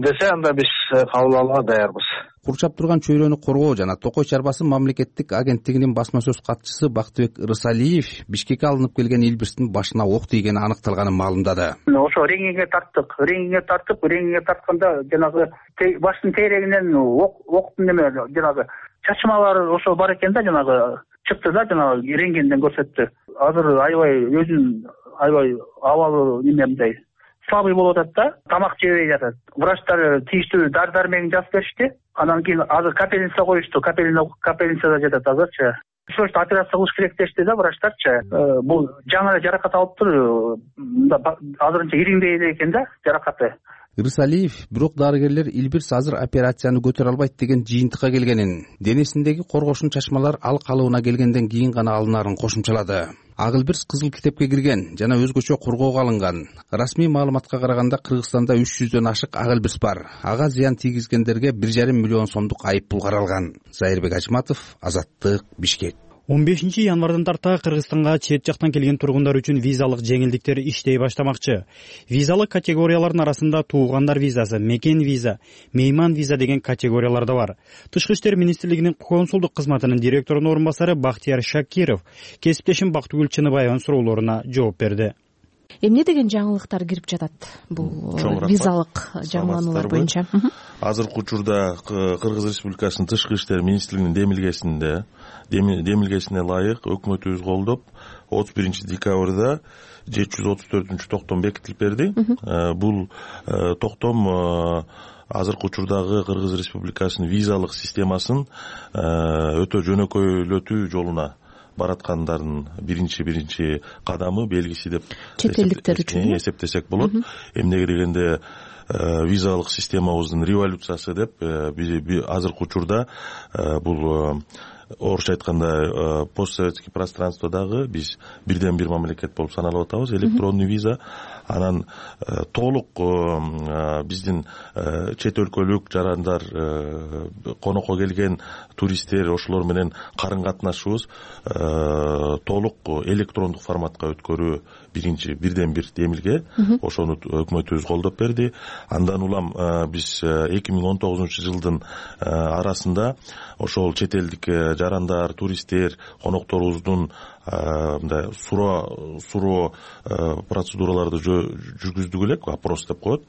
десе, анда биз кабыл алууга даярбыз. Курчап турган чөйрөнү коргоо жана Токой чарбасы мамлекеттик агенттигинин басма сөз катчысы Бактыбек Ырсалиев Бишкекке алынып келген Илбирстин башына ок тийгени аныкталганын маалымдады. Ошо реңиңе тартып, реңиңе тартканда жанагы баштын тейрегинен октун жанагы чачмалары ошо бар экен да, жанагы чыкты да, жанагы рентгенден көрсөттү. Азыр аябай абалы мындай слабый болуп атат да, тамак жебей жатат. Врачтар тийиштүү дары-дармегин жазып беришти. Анан кийин азыр капельница коюшту. Капельницада жатат азырчы. Срочно операция кылыш керек дешти да врачтарчы. Бул жаңы жаракат алыптыр. Азырынча ириңдей эле экен да жаракаты. Ырсалиев бирок дарыгерлер Илбирс азыр операцияны көтөрө албайт деген жыйынтыкка келгенин, денесиндеги коргошун чачмалар ал калыбына келгенден кийин гана алынарын кошумчалады. Ак Илбирс кызыл китепке кирген жана өзгөчө коргоого алынган. Расмий маалыматка караганда Кыргызстанда 300дөн ашык Ак Илбирс бар. Ага зыян тийгизгендерге 1,5 миллион сомдук айып пул каралган. Зайырбек Ажматов, Азаттык, Бишкек. 15 январдан тарта Кыргызстанга чет жактан келген тургундар үчүн визалык жеңилдиктер иштей баштамакчы. Визалык категориялардын арасында туугандар визасы, мекен виза, мейман виза деген категориялар да бар. Тышкы иштер министрлигинин консулдук кызматынын директорунун орун басары Бактияр Шакиров кесиптешим Бактыгүл Чыныбаеванын суроолоруна жооп берди. Эмне деген жаңылыктар кирип жатат бул визалык жаңылануулар боюнча? Азыркы учурда Кыргыз Республикасынын Тышкы иштер министрлигинин демилгесине ылайык өкмөтүбүз колдоп 31 декабрда 734 токтом бекитилип берди. Бул токтом азыркы учурдагы Кыргыз Республикасынын визалык системасын өтө жөнөкөйлөтүү жолуна бараткандардын биринчи кадамы, белгиси деп чет элдиктер үчүн эсептесек болот. Эмнеге дегенде визалык системабыздын революциясы деп азыркы учурда бул орусча айтканда постсоветский пространстводагы биз бирден бир мамлекет болуп саналып атабыз. Электронный виза анан толук биздин чет өлкөлүк жарандар, конокко келген туристтер, ошолор менен карын катнашыбыз толук электрондук форматка өткөрүү бирден бир демилге. Ошону өкмөтүбүз колдоп берди. Андан улам биз 2019 жылдын арасында ошол чет элдик жарандар, туристтер, конокторубуздун мындай суроо процедураларды жүргүздүк элек, опрос деп коет.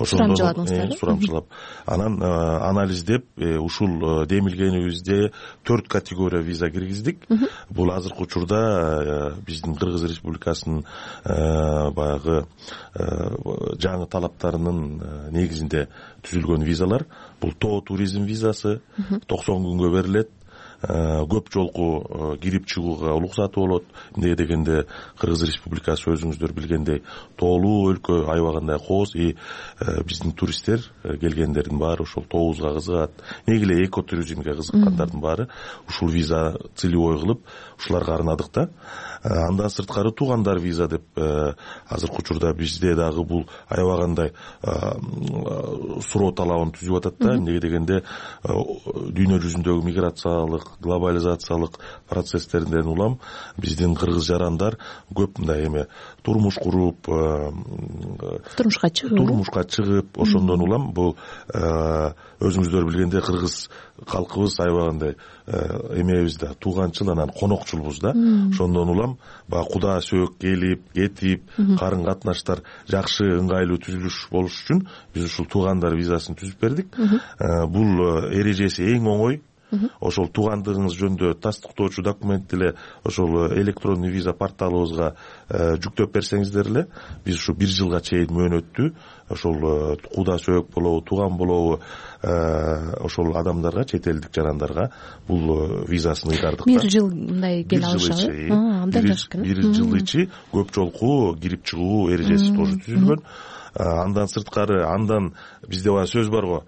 Сурамчылап. Анан анализдеп ушул демилгенибизде 4 категория виза киргиздик. Бул азыркы учурда биздин Кыргыз Республикасынын баягы жаңы талаптарынын негизинде түзүлгөн визалар. Бул тоо туризм визасы 90 күнгө берилет. Көп жолку кирип чыгууга уруксаты болот. Эмне дегенде Кыргыз Республикасы өзүңүздөр билгендей тоолуу өлкө, аябагандай кооз, биздин туристтер келгендердин баары ошол тообузга кызыгат. Неге эле экотуризмге кызыккандардын баары ушул виза целевой кылып ушуларга арнадык да. Андан сырткары туугандар виза деп азыркы учурда бизде дагы бул аябагандай суроо талабын түзүп атат да. Эмне дегенде дүйнө жүзүндөгү миграциялык, глобализациялык процесстерден улам биздин кыргыз жарандар көп мындай турмуш куруп, турмушка чыгып, ошондон улам бул өзүңүздөр билгендей кыргыз калкыбыз аябагандай эмебиз да, тууганчыл, анан конокчулбуз да. Ошондон улам баягы куда сөөк келип, кетип, карын катнаштар жакшы, ыңгайлуу түзүлүш болуш үчүн биз ушул туугандар визасын түзүп бердик. Бул эрежеси эң оңой. Ошол туугандыгыңыз жөнүндө тастыктоочу документти эле ошол электронный виза порталыбызга жүктөп берсеңиздер эле биз ушу 1 жылга чейин мөөнөттүү ошол куда сөөк болобу, тууган болобу ошол адамдарга, чет элдик жарандарга бул визасын ыйгардык. 1 жыл мындай келе алышат. Абдан жакшы экен. 1 жыл ичи көп жолку кирип чыгуу эрежеси тоже түзүлгөн. Андан сырткары, андан бизде сөз бар го,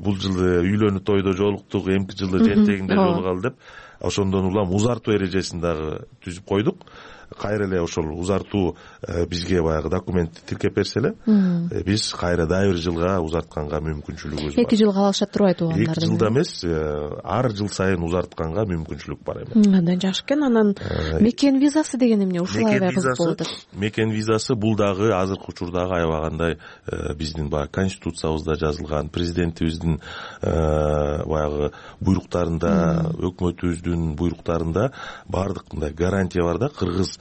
бул жылы үйлөнүү тойдо жолуктук, эмки жылы жентегинде жолугалы деп. ошондон улам узартуу эрежесин дагы түзүп койдук. Кайра эле ошол узартуу бизге баягы документти тиркеп берсе эле биз кайра дагы бир жылга узартканга мүмкүнчүлүгүбүз бар. 2 жылга алышат турбайт туугандарды? 2 жылда эмес, ар жыл сайын узартканга мүмкүнчүлүк бар эми. Андан жакшы экен. Анан мекен визасы деген эмне? Ушул аябай кызык болуп атат. Мекен визасы бул дагы азыркы учурдагы аябагандай биздин баягы конституциябызда жазылган, президентибиздин баягы буйруктарында, өкмөтүбүздүн буйруктарында баардык мындай гарантия бар да. Кыргыз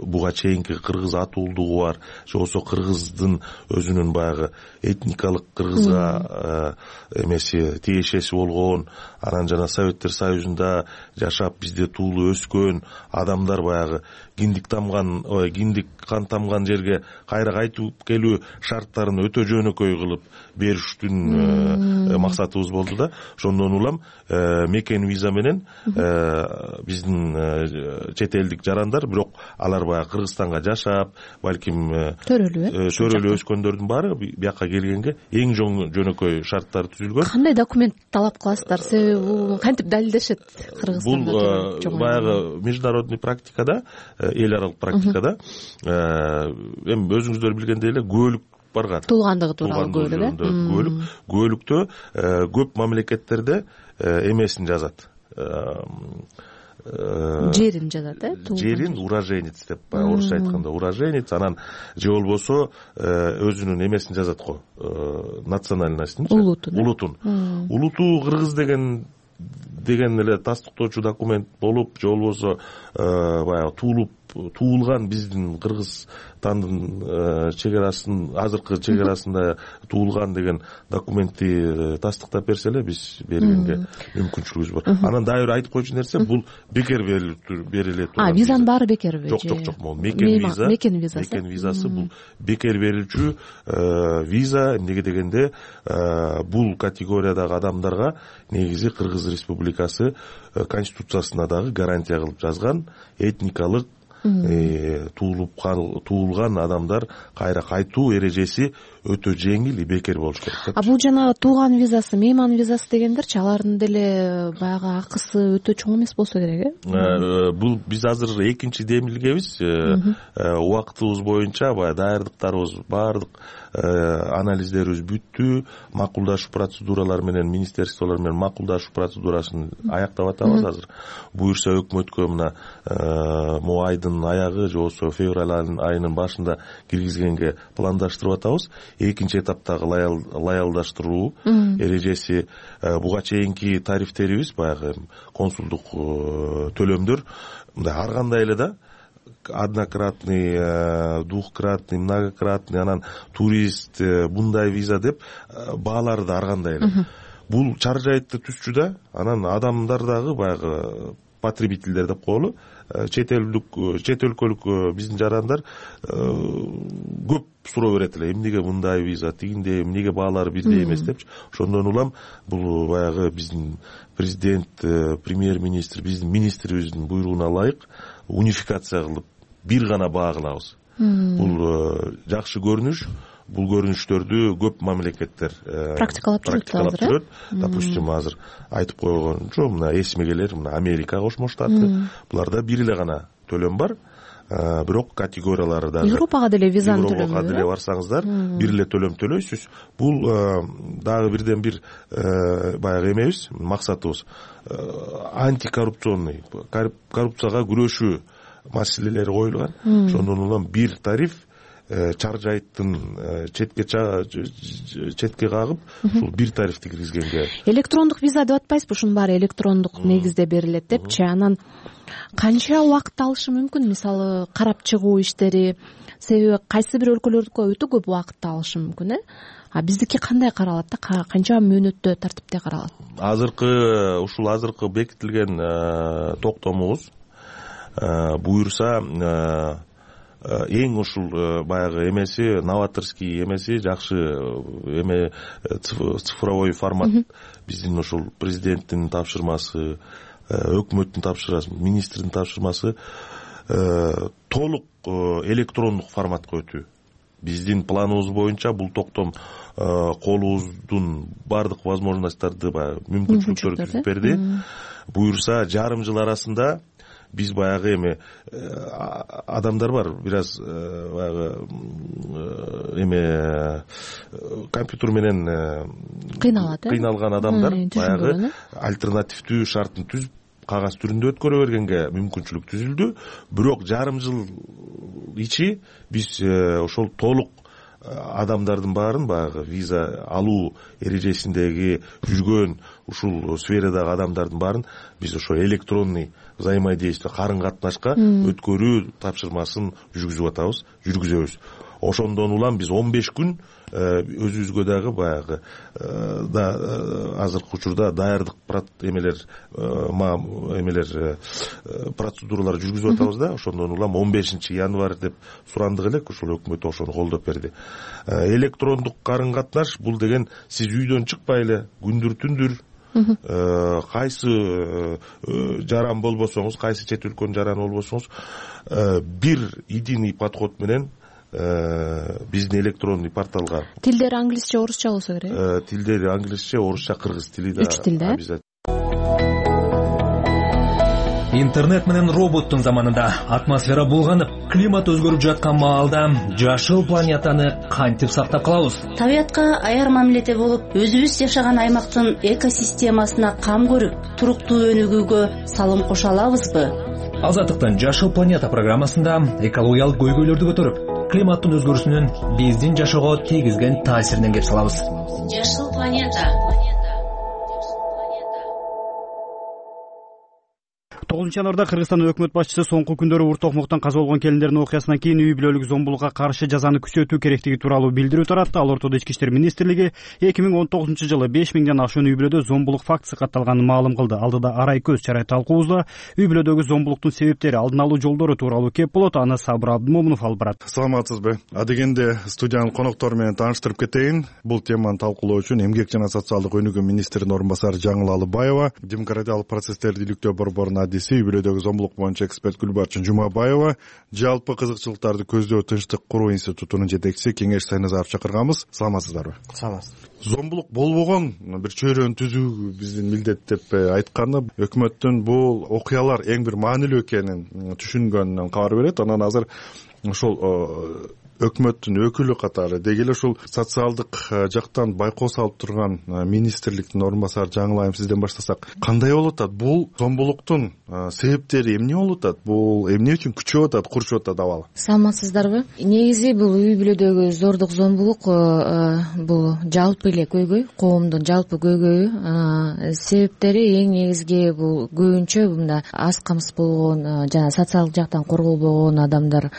буга чейинки кыргыз атуулдугу бар, же болбосо кыргыздын өзүнүн баягы этникалык кыргызга эмеси тиешеси болгон, анан жана Советтер Союзунда жашап бизде туулуп өскөн адамдар баягы киндик кан тамган жерге кайра кайтып келүү шарттарын өтө жөнөкөй кылып бериштин максатыбыз болду да. Ошондон улам мекен виза менен биздин чет элдик жарандар, бирок алар баягы Кыргызстанга жашап, балким төрөлүп өскөндөрдүн баары бияка келгенге эң жөнөкөй шарттар түзүлгөн. Кандай документ талап кыласыздар? Себеби бул кантип далилдешет Кыргызстанда? Бул баягы международный практикада, эл аралык практикада эми өзүңүздөр билгендей эле күбөлүк барган. Туулгандыгы тууралуу күбөлүк, күбөлүктө көп мамлекеттерде эмесин жазат. Жерин жазат, жерин уроженец деп, орусча айтканда уроженец, анан же болбосо өзүнүн эмесин жазат го, национальностун, улуту кыргыз деген эле тастыктоочу документ болуп, же болбосо баягы туулган биздин Кыргызстандын чегарасын, азыркы чегарасында туулган деген документти тастыктап берсе эле биз бергенге мүмкүнчүлүгүбүз бар. Анан дагы бир айтып койчу нерсе, бул бекер бериле турган. Визанын баары бекерби? Жок, могу мекен визасы бул бекер берилчү виза. Эмнеге дегенде бул категориядагы адамдарга негизи Кыргыз Республикасы конституциясына дагы гарантия кылып жазган, этникалык туулган адамдар кайра кайтуу эрежеси өтө жеңил и бекер болуш керек. Бул жана тууган визасы, мейман визасы дегендерчи, алардын деле баягы акысы өтө чоң эмес болсо керек, Бул биз азыр экинчи демилгебиз. Убактыбыз боюнча баягы даярдыктарыбыз баардык анализдерибиз бүттү. Макулдашуу процедуралары менен, министерстволор менен макулдашуу процедурасын аяктап атабыз азыр. Буюрса өкмөткө мына могу айдын аягы, же болбосо февраль айынын башында киргизгенге пландаштырып атабыз. Экинчи этаптагы лаялдаштыруу эрежеси, буга чейинки тарифтерибиз баягы консулдук төлөмдөр мындай ар кандай эле да, однократный, двухкратный, многократный, анан турист, мындай виза деп баалары да ар кандай эле. Бул чаржайтты түзчү да, анан адамдар дагы баягы потребительдер деп коелу, чет өлкөлүк биздин жарандар көп суроо берет эле, эмнеге мындай виза, тигиндей, эмнеге баалары бирдей эмес депчи. Ошондон улам бул баягы биздин президент, премьер-министр, биздин министрибиздин буйругуна ылайык унификация кылып бир гана баа кылабыз. Бул жакшы көрүнүш. Бул көрүнүштөрдү көп мамлекеттер практикалап жүрөт. Допустим, азыр айтып койгончу, мына эсиме келер, мына Америка Кошмо Штаты, буларда бир эле гана төлөм бар. Бирок категориялары да Европага деле визанын төлөмү. Европага деле барсаңыздар, бир эле төлөм төлөйсүз. Бул дагы бирден бир баягы эмебиз, максатыбыз антикоррупционный, коррупцияга күрөшүү маселелери коюлган. Ошондон улам бир тариф чаржайттын четке кагып, ушул бир тарифти киргизгенге. Электрондук виза деп атпайсызбы? Ушунун баары электрондук негизде берилет депчи. Анан канча убакыт алышы мүмкүн? Мисалы, карап чыгуу иштери, себеби кайсы бир өлкөлөрдүкү өтө көп убакыт алышы мүмкүн, биздики кандай каралат да? Канча мөөнөттө тартипте каралат? Азыркы бекитилген токтомубуз буюрса эң ушул баягы эмеси, новаторский эмеси, жакшы эме, цифровой формат. Биздин ушул президенттин тапшырмасы, өкмөттүн тапшырмасы, министрдин тапшырмасы толук электрондук форматка өтүү. биздин планыбыз боюнча бул токтом колубуздун баардык возможностторду баягы мүмкүнчүлүктөрү түзүп берди. Буюрса жарым жыл арасында биз баягы эме адамдар бар, бир аз баягы эме компьютер менен кыйналган адамдар баягы альтернативдүү шартын түзүп кагаз түрүндө өткөрө бергенге мүмкүнчүлүк түзүлдү. Бирок жарым жыл ичи биз ошол толук адамдардын баарын баягы виза алуу эрежесиндеги жүргөн ушул сферадагы адамдардын баарын биз ошо электронный взаимодействие, карын катнашка өткөрүү тапшырмасын жүргүзөбүз. Ошондон улам биз 15 күн өзүбүзгө дагы баягы азыркы учурда даярдык процедуралар жүргүзүп атабыз да. Ошондон улам 15 январь деп сурандык элек, ошол өкмөт ошону колдоп берди. Электрондук карын катнаш бул деген сиз үйдөн чыкпай эле күндүр түндүр кайсы жаран болбосоңуз, кайсы чет өлкөнүн жараны болбосоңуз бир единый подход менен биздин электронный порталга. Тилдери англисче, орусча болсо керек. Тилдери англисче, орусча, кыргыз тили да. 3 тилде. Интернет менен роботтун заманында атмосфера булганып, климат өзгөрүп жаткан маалда жашыл планетаны кантип сактап калабыз? Табиятка аяр мамиледе болуп, өзүбүз жашаган аймактын экосистемасына кам көрүп, туруктуу өнүгүүгө салым кошо алабызбы? Азаттыктын жашыл планета программасында экологиялык көйгөйлөрдү көтөрүп, климаттын өзгөрүүсүнүн биздин жашоого тийгизген таасиринен кеп салабыз. Жашыл планета. 9 январда Кыргызстан өкмөт башчысы соңку күндөрү Ур Токмоктон каза болгон келиндердин окуясынан кийин үй бүлөлүк зомбулукка каршы жазаны күчөтүү керектиги тууралуу билдирүү таратты. Ал ортодо Ички иштер министрлиги 2019-жылы 5000ден ашуун үй бүлөдө зомбулук фактысы катталганын маалым кылды. Алдыда арай көз чарай талкуубузда үй бүлөдөгү зомбулуктун себептери, алдын алуу жолдору тууралуу кеп болот. Аны Сабыр Абдымомунов алып барат. Саламатсызбы? Адегенде студиянын коноктору менен тааныштырып кетейин. Бул теманы талкуулоо үчүн Эмгек жана социалдык өнүгүү министринин орун басары Жаңыл Алыбаева, демократиялык процесстерди иликтөө борборунун адиси, үй бүлөдөгү зомбулук боюнча эксперт Гүлбарчын Жумабаева, жалпы кызыкчылыктарды көздөө тынчтык куруу институтунун жетекчиси Кеңеш Сайназаров чакырганбыз. Саламатсыздарбы? Саламатсыз. Зомбулук болбогон бир чөйрөнү түзүү биздин милдет деп айтканы өкмөттүн бул окуялар эң бир маанилүү экенин түшүнгөнүнөн кабар берет. Анан азыр ошол өкмөттүн өкүлү катары деги эле ушул социалдык жактан байкоо салып турган министрликтин орун басары Жаңыл айым сизден баштасак, кандай болуп атат? Бул зомбулуктун себептери эмне болуп атат? Бул эмне үчүн күчөп атат, курушуп атат абалы? Саламатсыздарбы? Негизи бул үй бүлөдөгү зордук, зомбулук бул жалпы эле көйгөй, коомдун жалпы көйгөйү. Себептери эң негизги бул көбүнчө мында аз камсыз болгон жана социалдык жактан корголбогон адамдар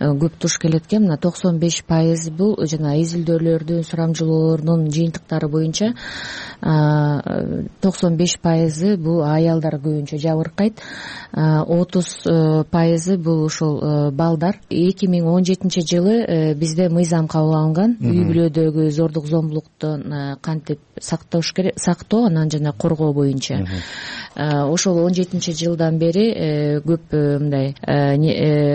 көп туш келет экен. Мына 95% бул жана изилдөөлөрдүн, сурамжылоолордун жыйынтыктары боюнча 95% бул аялдар көбүнчө жабыркайт. 30% бул ушул балдар. 2017 жылы бизде мыйзам кабыл алынган үй бүлөдөгү зордук, зомбулуктун кантип сактоо анан жана коргоо боюнча. Ошол 17 жылдан бери көп мындай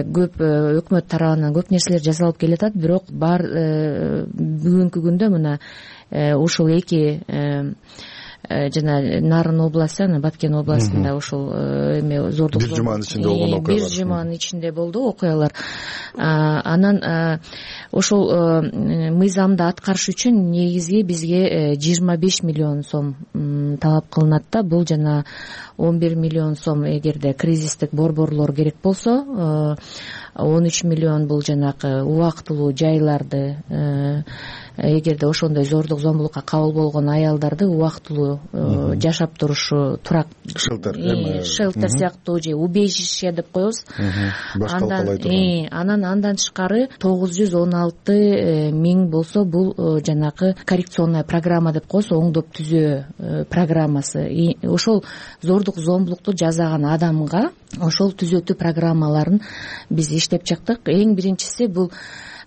көп өкмөт тарабынан көп нерселер жасалып келатат, бирок бүгүнкү күндө мына ушул эки жана Нарын областы, анан Баткен областында ушул эме зордук, бир жуманын ичинде болгон окуялар. Бир жуманын ичинде болду окуялар. Анан ошол мыйзамды аткарыш үчүн негизги бизге 25 миллион сом талап кылынат да. Бул жана 11 миллион сом эгерде кризистик борборлор керек болсо, 13 миллион бул жанагы убактылуу жайларды, эгерде ошондой зордук, зомбулукка кабыл болгон аялдарды убактылуу жашап турушу турак шелтер сыяктуу же убежище деп коебуз. Андан тышкары 916 миң болсо бул жанагы коррекционная программа деп коебуз, оңдоп түзөө программасы. Ошол зордук, зомбулукту жасаган адамга ошол түзөтүү программаларын биз иштеп чыктык. Эң биринчиси бул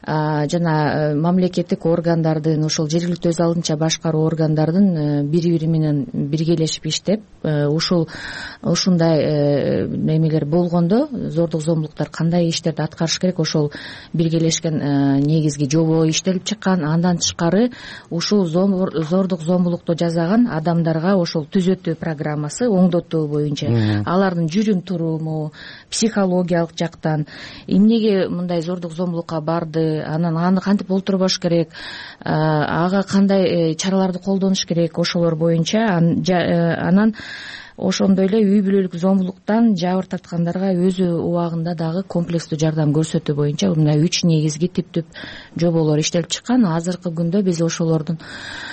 жана мамлекеттик органдардын ошол жергиликтүү өз алдынча башкаруу органдардын бири бири менен биргелешип иштеп ушундай немелер болгондо зордук зомбулуктар кандай иштерди аткарыш керек ошол биргелешкен негизги жобо иштелип чыккан. Андан тышкары ушул зордук зомбулукту жасаган адамдарга ошол түзөтүү программасы оңдотуу боюнча алардын жүрүм туруму, психологиялык жактан эмнеге мындай зордук зомбулукка барды, анан аны кантип олтурбаш керек, ага кандай чараларды колдонуш керек, ошолор боюнча анан ошондой эле үй бүлөлүк зомбулуктан жабыр тарткандарга өзү убагында дагы комплекстүү жардам көрсөтүү боюнча мына 3 негизги типтүү жоболор иштелип чыккан. Азыркы күндө биз ошолордун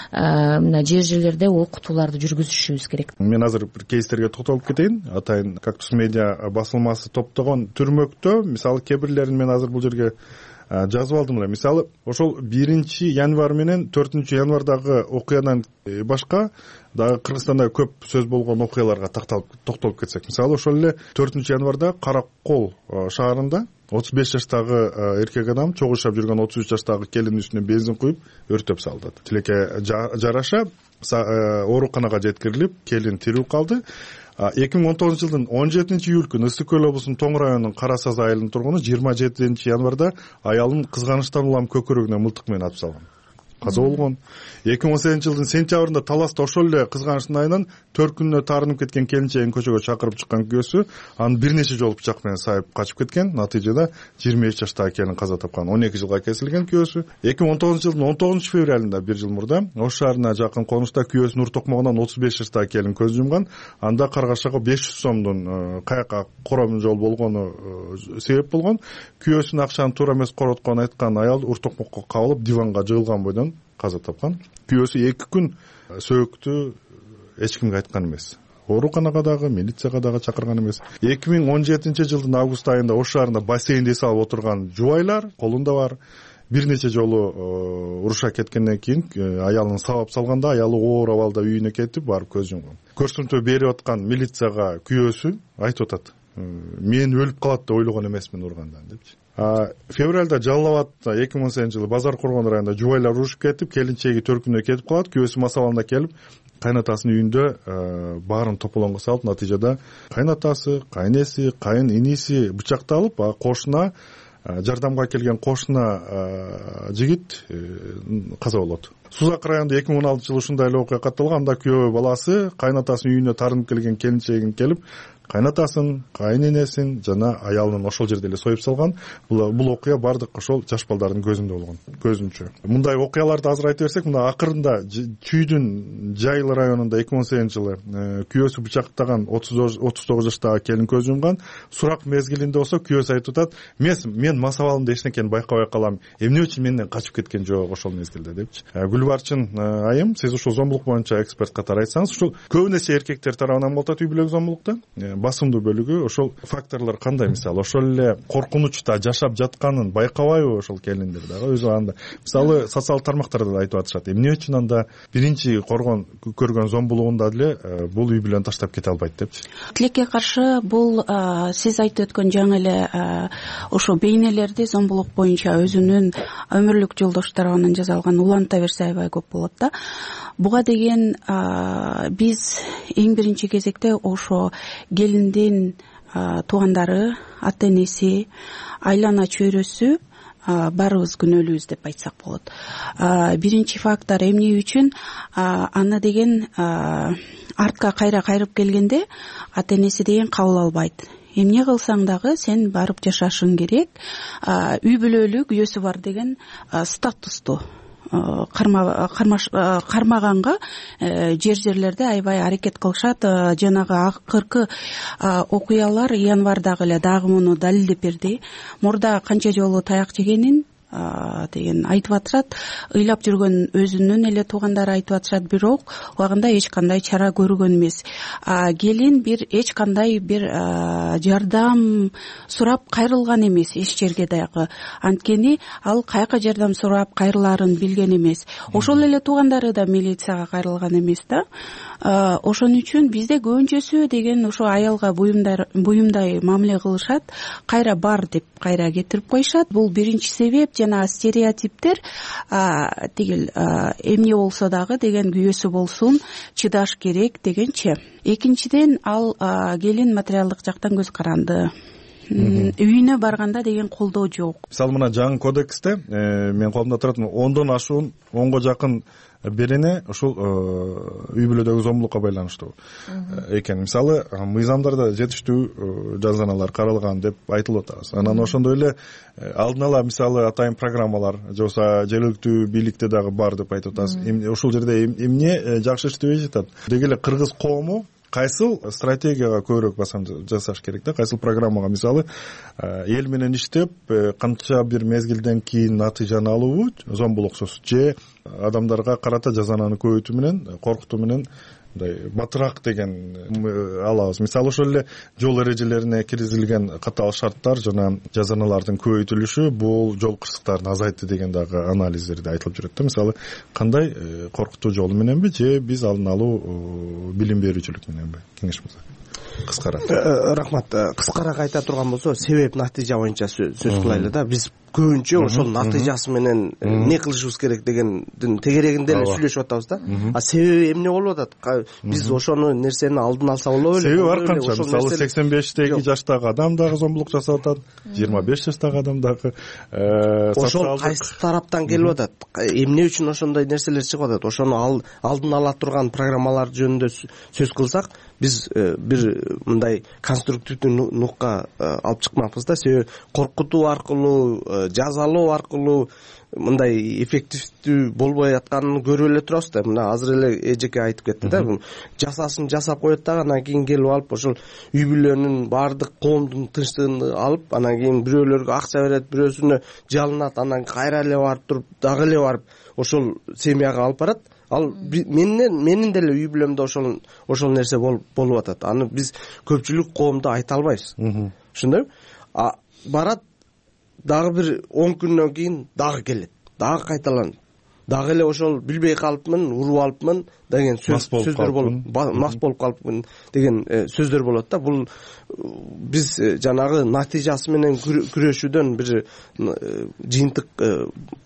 мына жерлерде окутууларды жүргүзүшүбүз керек. Мен азыр бир кейстерге токтолуп кетейин. Атайын Кактус медиа басылмасы топтогон түрмөктө мисалы кээ бирлерин мен азыр бул жерге жазып алдым эле. Мисалы ошол 1-январь менен 4-январдагы окуядан башка дагы Кыргызстанда көп сөз болгон окуяларга токтолуп кетсек, мисалы ошол эле 4-январда Каракол шаарында 35 жаштагы эркек адам чогуу жашап жүргөн 33 жаштагы келиндин үстүнө бензин куюп өртөп салды. Тилекке жараша ооруканага жеткирилип, келин тирүү калды. 2019-жылдын 17-июль күнү Ысык Көл облусунун Тоң районунун Кара Саз айылынын тургуну 27-январда аялын кызганычтан улам көкөрөгүнө мылтык менен атып салган. Каза болгон. 2018-жылдын сентябрында Таласта ошол эле кызганычтын айынан 4 күнүнө таарынып кеткен келинчегин көчөгө чакырып чыккан күйөөсү аны бир нече жолу пычак менен сайып качып кеткен. Натыйжада 23 жаштагы келин каза тапкан, 12 жылга кесилген күйөөсү. 2019-жылдын 19-февралында бир жыл мурда Ош шаарына жакын конушта күйөөсүнүн ур токмогунан 35 жаштагы келин көз жумган. Анда Каргашага 500 сомдун каякка кором жол болгону себеп болгон. Күйөөсүнүн акчаны туура эмес коротконун айткан аял ур токмокко кабылып диванга жыгылган бойдон каза тапкан. Күйөөсү 2 күн сөөктү эч кимге айткан эмес. Ооруканага дагы, милицияга дагы чакырган эмес. 2017-жылдын август айында Ош шаарында бассейнде салып отурган жубайлар колунда бар. Бир нече жолу уруша кеткенден кийин аялын сабап салганда аялы оор абалда үйүнө кетип барып көз жумган. Көрсөтмө берип аткан милицияга күйөөсү айтып атат: мен өлүп калат деп ойлогон эмесмин ургандан депчи. Февралда Жалал Абадта 2018-жылы Базар Коргон районунда жубайлар урушуп кетип, келинчеги 4 күнүнө кетип калат. Күйөөсү масаланда келип, кайнатасынын үйүндө баарын тополоңго салып, натыйжада кайнатасы, кайнеси, кайын иниси бычакталып, кошуна жардамга келген кошуна жигит каза болот. Сузак районунда 2016-жылы ушундай эле окуя катталган. Анда күйөө баласы кайнатасынын үйүнө таарынып келген келинчегин келип, кайнатасын, кайненесин жана аялын ошол жерде эле союп салган. Бул окуя бардык ошол жаш балдардын көзүндө болгон, көзүнчө. Мындай окуяларды азыр айта берсек, мына акырында Чүйдүн Жайыл районунда 2018-жылы күйөөсү бычактаган 39 жаштагы келин көз жумган. Сурак мезгилинде болсо күйөөсү айтып атат: мен масабалымда эч нерсени байкабай калам. Эмне үчүн менден качып кеткен жок ошол мезгилде депчи. Гүлбарчын айым, сиз ушул зомбулук боюнча эксперт катары айтсаңыз, ушул көбүн эсе эркектер тарабынан болуп атат үй бүлөлүк зомбулукта. Басымдуу бөлүгү ошол факторлор кандай? Мисалы ошол эле коркунучта жашап жатканын байкабайбы ошол келиндер дагы өзү анда. Мисалы социалдык тармактарда да айтып атышат: эмне үчүн анда биринчи көргөн зомбулугунда деле бул үй бүлөнү таштап кете албайт депчи. Тилекке каршы бул сиз айтып өткөн жаңы эле ошо бейнелерди зомбулук боюнча өзүнүн өмүрлүк жолдошторунан жасалган уланта берсе аябай көп болот да. Буга деген биз эң биринчи кезекте ошо келиндин туугандары, ата энеси, айлана чөйрөсү баарыбыз күнөөлүүбүз деп айтсак болот. Биринчи фактор эмне үчүн аны деген артка кайра кайрып келгенде ата энеси деген кабыл албайт. Эмне кылсаң дагы сен барып жашашың керек. Үй бүлөлүк күйөөсү бар деген статусту кармаганга жерлерде аябай аракет кылышат. Жанагы акыркы окуялар январдагы эле дагы муну далилдеп берди. Мурда канча жолу таяк жегенин деген айтып атышат. Ыйлап жүргөн өзүнүн эле туугандары айтып атышат, бирок убагында эч кандай чара көргөн эмес. Келин эч кандай бир жардам сурап кайрылган эмес эч жерге дагы. Анткени ал каяка жардам сурап кайрылаарын билген эмес. Ошол эле туугандары да милицияга кайрылган эмес да. Ошон үчүн бизде көбүнчөсү деген ошо аялга буюмдай мамиле кылышат. Кайра бар деп кайра кетирип коюшат. Бул биринчи себеп. жанагы стереотиптер тигил эмне болсо дагы деген күйөөсү болсун, чыдаш керек дегенчи. Экинчиден ал келин материалдык жактан көз каранды, үйүнө барганда деген колдоо жок. Мисалы мына жаңы кодексте менин колумда турат 10дон ашуун 10го жакын берене ушул үй бүлөдөгү зомбулукка байланыштуу экен. Мисалы мыйзамдарда жетиштүү жазаналар каралган деп айтылып атабыз. Анан ошондой эле алдын ала мисалы атайын программалар же болбосо жергиликтүү бийликте дагы бар деп айтып атабыз. Ушул жерде эмне жакшы иштебей жатат? Деги эле кыргыз коому кайсыл стратегияга көбүрөөк басым жасаш керек да, кайсыл программага, мисалы эл менен иштеп канча бир мезгилден кийин натыйжаны алуу, зомбулуксуз же адамдарга карата жазананы көбөйтүү менен, коркутуу менен мындай батыраак деген алабыз. Мисалы ошол эле жол эрежелерине киргизилген катаал шарттар жана жазаналардын көбөйтүлүшү бул жол кырсыктарын азайтты деген дагы анализдерде айтылып жүрөт да. Мисалы кандай коркутуу жолу мененби же биз алдын алуу билим берүүчүлүк мененби? Кеңеш мырза. Кыскара. Рахмат. Кыскараак айта турган болсо, себеп натыйжа боюнча сөз кылайлы да. Биз көбүнчө ошол натыйжасы менен эмне кылышыбыз керек дегендин тегерегинде эле сүйлөшүп атабыз да. А себеби эмне болуп атат? Биз ошону нерсени алдын алса болобу эле? Себеби ар канча. Мисалы 85 жаштагы адам дагы зомбулук жасап атат, 25 жаштагы адам дагы. Ошол кайсы тараптан келип атат? Эмне үчүн ошондой нерселер чыгып атат? Ошону алдын ала турган программалар жөнүндө сөз кылсак, биз бир мындай конструктивдүү нукка алып чыкмакпыз да. Себеби коркутуу аркылуу, жазалоо аркылуу мындай эффективдүү болбой атканын көрүп эле турабыз да. Мына азыр эле эжеке айтып кетти да, жасасын жасап коет дагы, анан кийин келип алып ошол үй бүлөнүн баардык коомдун тынчтыгын алып, анан кийин бирөөлөргө акча берет, бирөөсүнө жалынат, анан кайра эле барып туруп, дагы эле барып ошол семьяга алып барат. Ал менин деле үй бүлөмдө ошол нерсе болуп атат. Аны биз көпчүлүк коомдо айта албайбыз. Ошондойбу? Барат, дагы бир 10 күндөн кийин дагы келет, дагы кайталанат. Дагы эле ошол билбей калыпмын, уруп алыпмын деген сөздөр болуп, мас болуп калыпмын деген сөздөр болот да. Бул биз жанагы натыйжасы менен күрөшүүдөн бир жыйынтык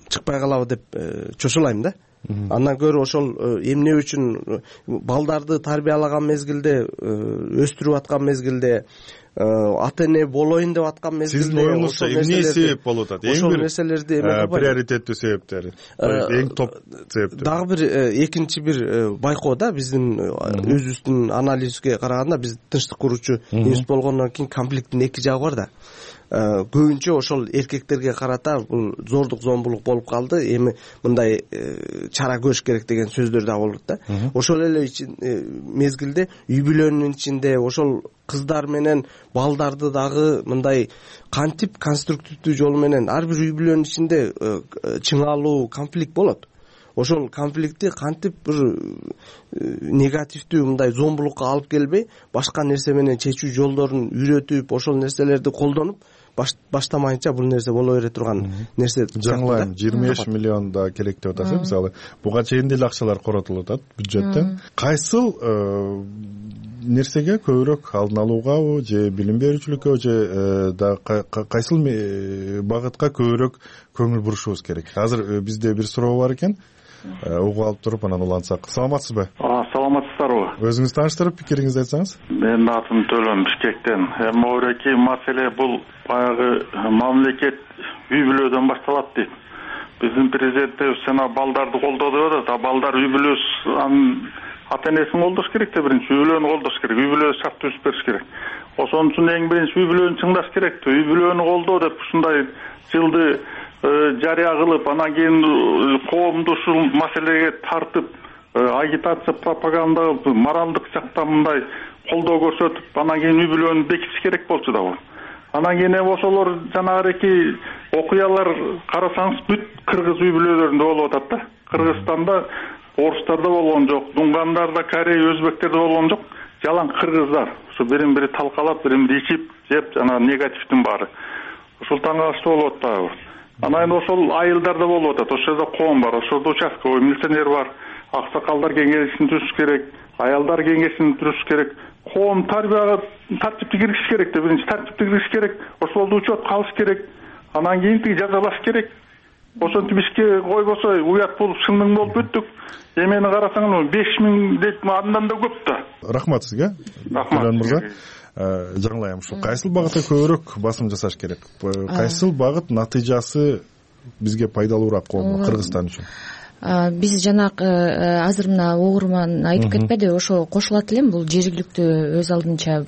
чыкпай калабы деп чочулайм да. Андан көрө ошол эмне үчүн балдарды тарбиялаган мезгилде, өстүрүп аткан мезгилде, ата эне болоюн деп аткан мезгилде сиздин оюңузча эмне себеп болуп атат? Ошол нерселерди приоритеттүү себептери, эң топ себептер. Дагы бир экинчи бир байкоо да, биздин өзүбүздүн анализге караганда, биз тынчтык куруучу институт болгондон кийин конфликттин эки жагы бар да. Көбүнчө ошол эркектерге карата бул зордук, зомбулук болуп калды, эми мындай чара көрүш керек деген сөздөр да болот да. Ошол эле мезгилде үй бүлөнүн ичинде ошол кыздар менен балдарды дагы мындай кантип конструктивдүү жол менен ар бир үй бүлөнүн ичинде чыңалуу конфликт болот. Ошол конфликтти кантип бир негативдүү мындай зомбулукка алып келбей, башка нерсе менен чечүү жолдорун үйрөтүп, ошол нерселерди колдонуп, баштамайынча бул нерсе боло бере турган нерсе. Жаңылайм, 25 миллион да керек деп атасыз. Мисалы, буга чейин деле акчалар коротулуп атат бюджеттен. Кайсыл нерсеге көбүрөөк алдын алуугабы же билим берүүчүлүккө же кайсыл багытка көбүрөөк көңүл бурушубуз керек? Азыр бизде бир суроо бар экен. Угуп алып туруп анан улантсак. Саламатсызбы? Саламатсыздарбы? Өзүңүз тааныштырып, пикириңизди айтсаңыз. Менин атым Төлөн, Бишкектен. Моореки маселе бул баягы мамлекет үй бүлөдөн башталат дейт. Биздин президентибиз жана балдарды колдоо деп атат. Балдар үй бүлөсү ата энесин колдош керек да, биринчи үй бүлөнү колдош керек, үй бүлө шарт түзүп бериш керек. Ошон үчүн эң биринчи үй бүлөнү чыңдаш керек. Үй бүлөнү колдоо деп ушундай жылды жарыя кылып, анан кийин коомду ушул маселеге тартып, агитация, пропаганда кылып, моралдык жактан мындай колдоо көрсөтүп, анан кийин үй бүлөнү бекитиш керек болчу да бул. Анан кийин ошолор жанагы окуялар карасаңыз бүт кыргыз үй бүлөлөрүндө болуп атат да. Кыргызстанда орустарда болгон жок, дуңгандарда, корей, өзбектерде болгон жок, жалаң кыргыздар. Ушу бирин бири талкалап, бирин бири ичип, жеп, жана негативдин баары. Ушул таң калыштуу болуп атат. Анан ошол айылдарда болуп атат. Ошол жерде коом бар, ошол жерде участковый милиционер бар. Аксакалдар кеңешин түзүш керек, аялдар кеңешин түзүш керек. Коом тарбияга тартипти киргизиш керек да, биринчи тартипти киргизиш керек. Ошолду учет калыш керек. Анан кийин жазалаш керек. ошентип ишке койбосо уят болуп шыңдың болуп бүттүк. Эмени карасаң 5000 дейт, андан да көп да. Рахмат сизге. Рахмат мырза. Жаңылайм ушу кайсыл багытта көбүрөөк басым жасаш керек? Кайсыл багыт натыйжасы бизге пайдалуураак болмок Кыргызстан үчүн? Биз жанагы азыр мына угурман айтып кетпеди, ошо кошулат элем. Бул жергиликтүү өз алдынча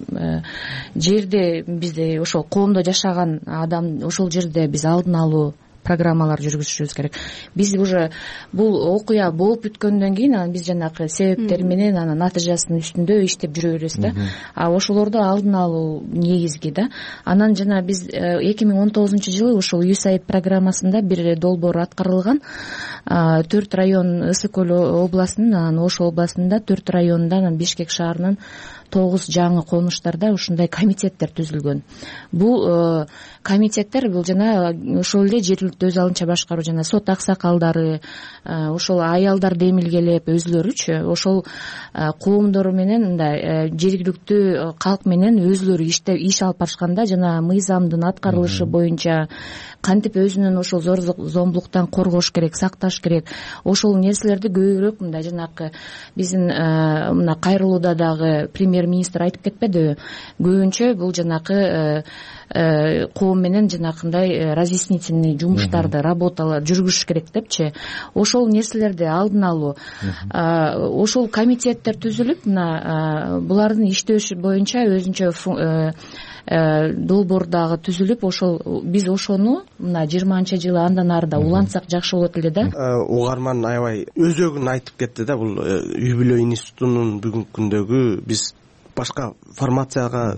жерде бизде ошо коомдо жашаган адам ошол жерде биз алдын алуу программалар жүргүзүшүбүз керек. Биз уже бул окуя болуп бүткөндөн кийин анан биз жанагы себептер менен анан натыйжасынын үстүндө иштеп жүрө беребиз да. Ошолорду алдын алуу негизги да. Анан жана биз 2019-жылы ошол USAID программасында бир долбоор аткарылган. 4 район Ысык Көл областынын, анан Ош областында 4 районунда, анан Бишкек шаарынын 9 жаңы конуштарда ушундай комитеттер түзүлгөн. Бул комитеттер бул жана ошол эле жергиликтүү өз алдынча башкаруу жана сот аксакалдары, ошол аялдарды эмилгелеп өзлөрүчү ошол коомдор менен мындай жергиликтүү калк менен өзлөрү иш алып барышканда жана мыйзамдын аткарылышы боюнча кантип өзүнүн ошол зор зомбулуктан коргош керек, сакташ керек. Ошол нерселерди көбүрөөк мындай жанагы биздин мына кайрылууда дагы премьер-министр айтып кетпедиби? Көбүнчө бул жанагы коом менен жанакындай разъяснительный жумуштарды, работалар жүргүзүш керек депчи. Ошол нерселерди алдын алуу. Ошол комитеттер түзүлүп, мына булардын иштөөшү боюнча өзүнчө долбоор дагы түзүлүп, ошол биз ошону мына 20-жылы андан ары да улантсак жакшы болот эле да. Угарман аябай өзөгүн айтып кетти да. Бул үй бүлө институтунун бүгүнкү күндөгү биз башка формацияга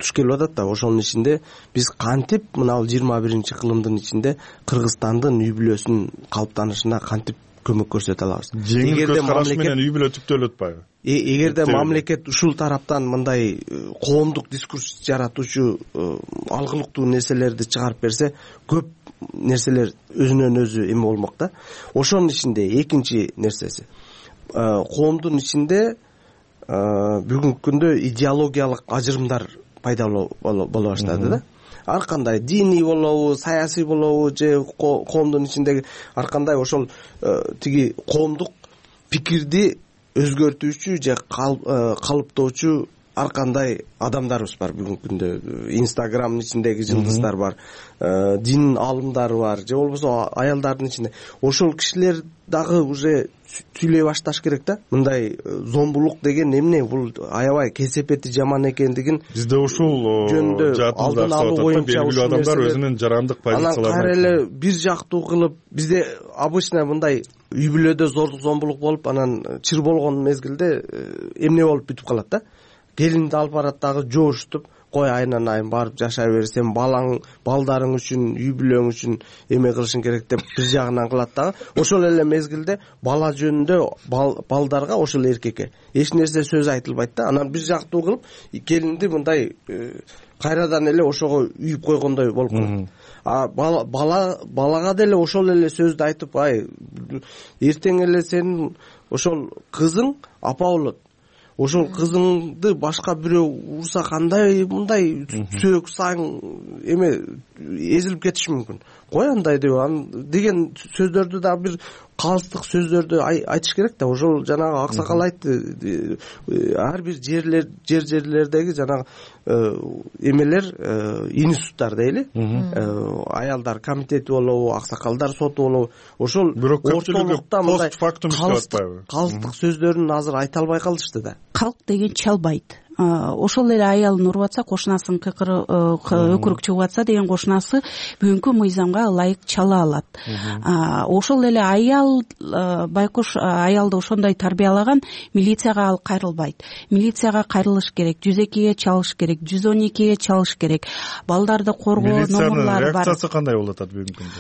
түшкелип атат да. Ошонун ичинде биз кантип мына 21-кылымдын ичинде Кыргызстандын үй бүлөсүнүн калыптанышына кантип көмөк көрсөтө алабыз? Жеңил көз караш менен үй бүлө түптөлүп атпайбы? Эгерде мамлекет ушул тараптан мындай коомдук дискурс жаратуучу алгылыктуу нерселерди чыгарып берсе, көп нерселер өзүнөн өзү эме болмок да. Ошонун ичинде экинчи нерсеси, коомдун ичинде бүгүнкү күндө идеологиялык ажырымдар пайда боло баштады да. Ар кандай диний болобу, саясий болобу, же коомдун ичиндеги ар кандай ошол тиги коомдук пикирди өзгөртүүчү же калыптоочу ар кандай адамдарыбыз бар бүгүнкү күндө. Инстаграмдын ичиндеги жылдыздар бар, дин аалымдары бар, же болбосо аялдардын ичинде. Ошол кишилер дагы уже сүйлөй башташ керек да. Мындай зомбулук деген эмне, бул аябай кесепети жаман экендигин бизде ушул алдын алуу боюнча белгилүү адамдар өзүнүн жарандык позицияларын анан кайра эле бир жактуу кылып, бизде обычно мындай үй бүлөдө зордук зомбулук болуп, анан чыр болгон мезгилде эмне болуп бүтүп калат да. Келинди алып барат дагы жоошутуп, кой айынан айын барып жашай бер, сен балдарың үчүн, үй бүлөң үчүн эме кылышың керек деп бир жагынан кылат дагы. Ошол эле мезгилде бала жөнүндө балдарга, ошол эркекке эч нерсе сөз айтылбайт да. Анан бир жактуу кылып келинди мындай кайрадан эле ошого үйүп койгондой болуп калат. Балага деле ошол эле сөздү айтып, эртең эле сенин ошол кызың апа болот. Ошол кызыңды башка бирөө урса кандай мындай сөөк саң эме эзилип кетиши мүмкүн. Кой андай деген сөздөрдү да бир калыстык сөздөрдү айтыш керек да. Ошол жанагы аксакал айтты, ар бир жерлердеги жанагы эмелер, институттар дейли, аялдар комитети болобу, аксакалдар соту болобу, ошол ортолукта мындай калыстык сөздөрүн азыр айта албай калышты да. Калк деген чалбайт. Ошол эле аялын уруп атса, кошунасынын өкүрүк чыгып атса деген кошунасы бүгүнкү мыйзамга ылайык чала алат. Ошол эле аял, байкуш аялды ошондой тарбиялаган, милицияга ал кайрылбайт. Милицияга кайрылыш керек, 102-ге чалыш керек, 112-ге чалыш керек. Балдарды коргоо номерлары бар. Реакциясы кандай болуп атат бүгүнкү күндө?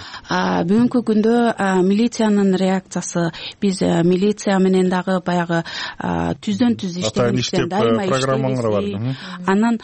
Бүгүнкү күндө милициянын реакциясы, биз милиция менен дагы баягы түздөн түз иштеген, дайыма кармаңдар бар. Анан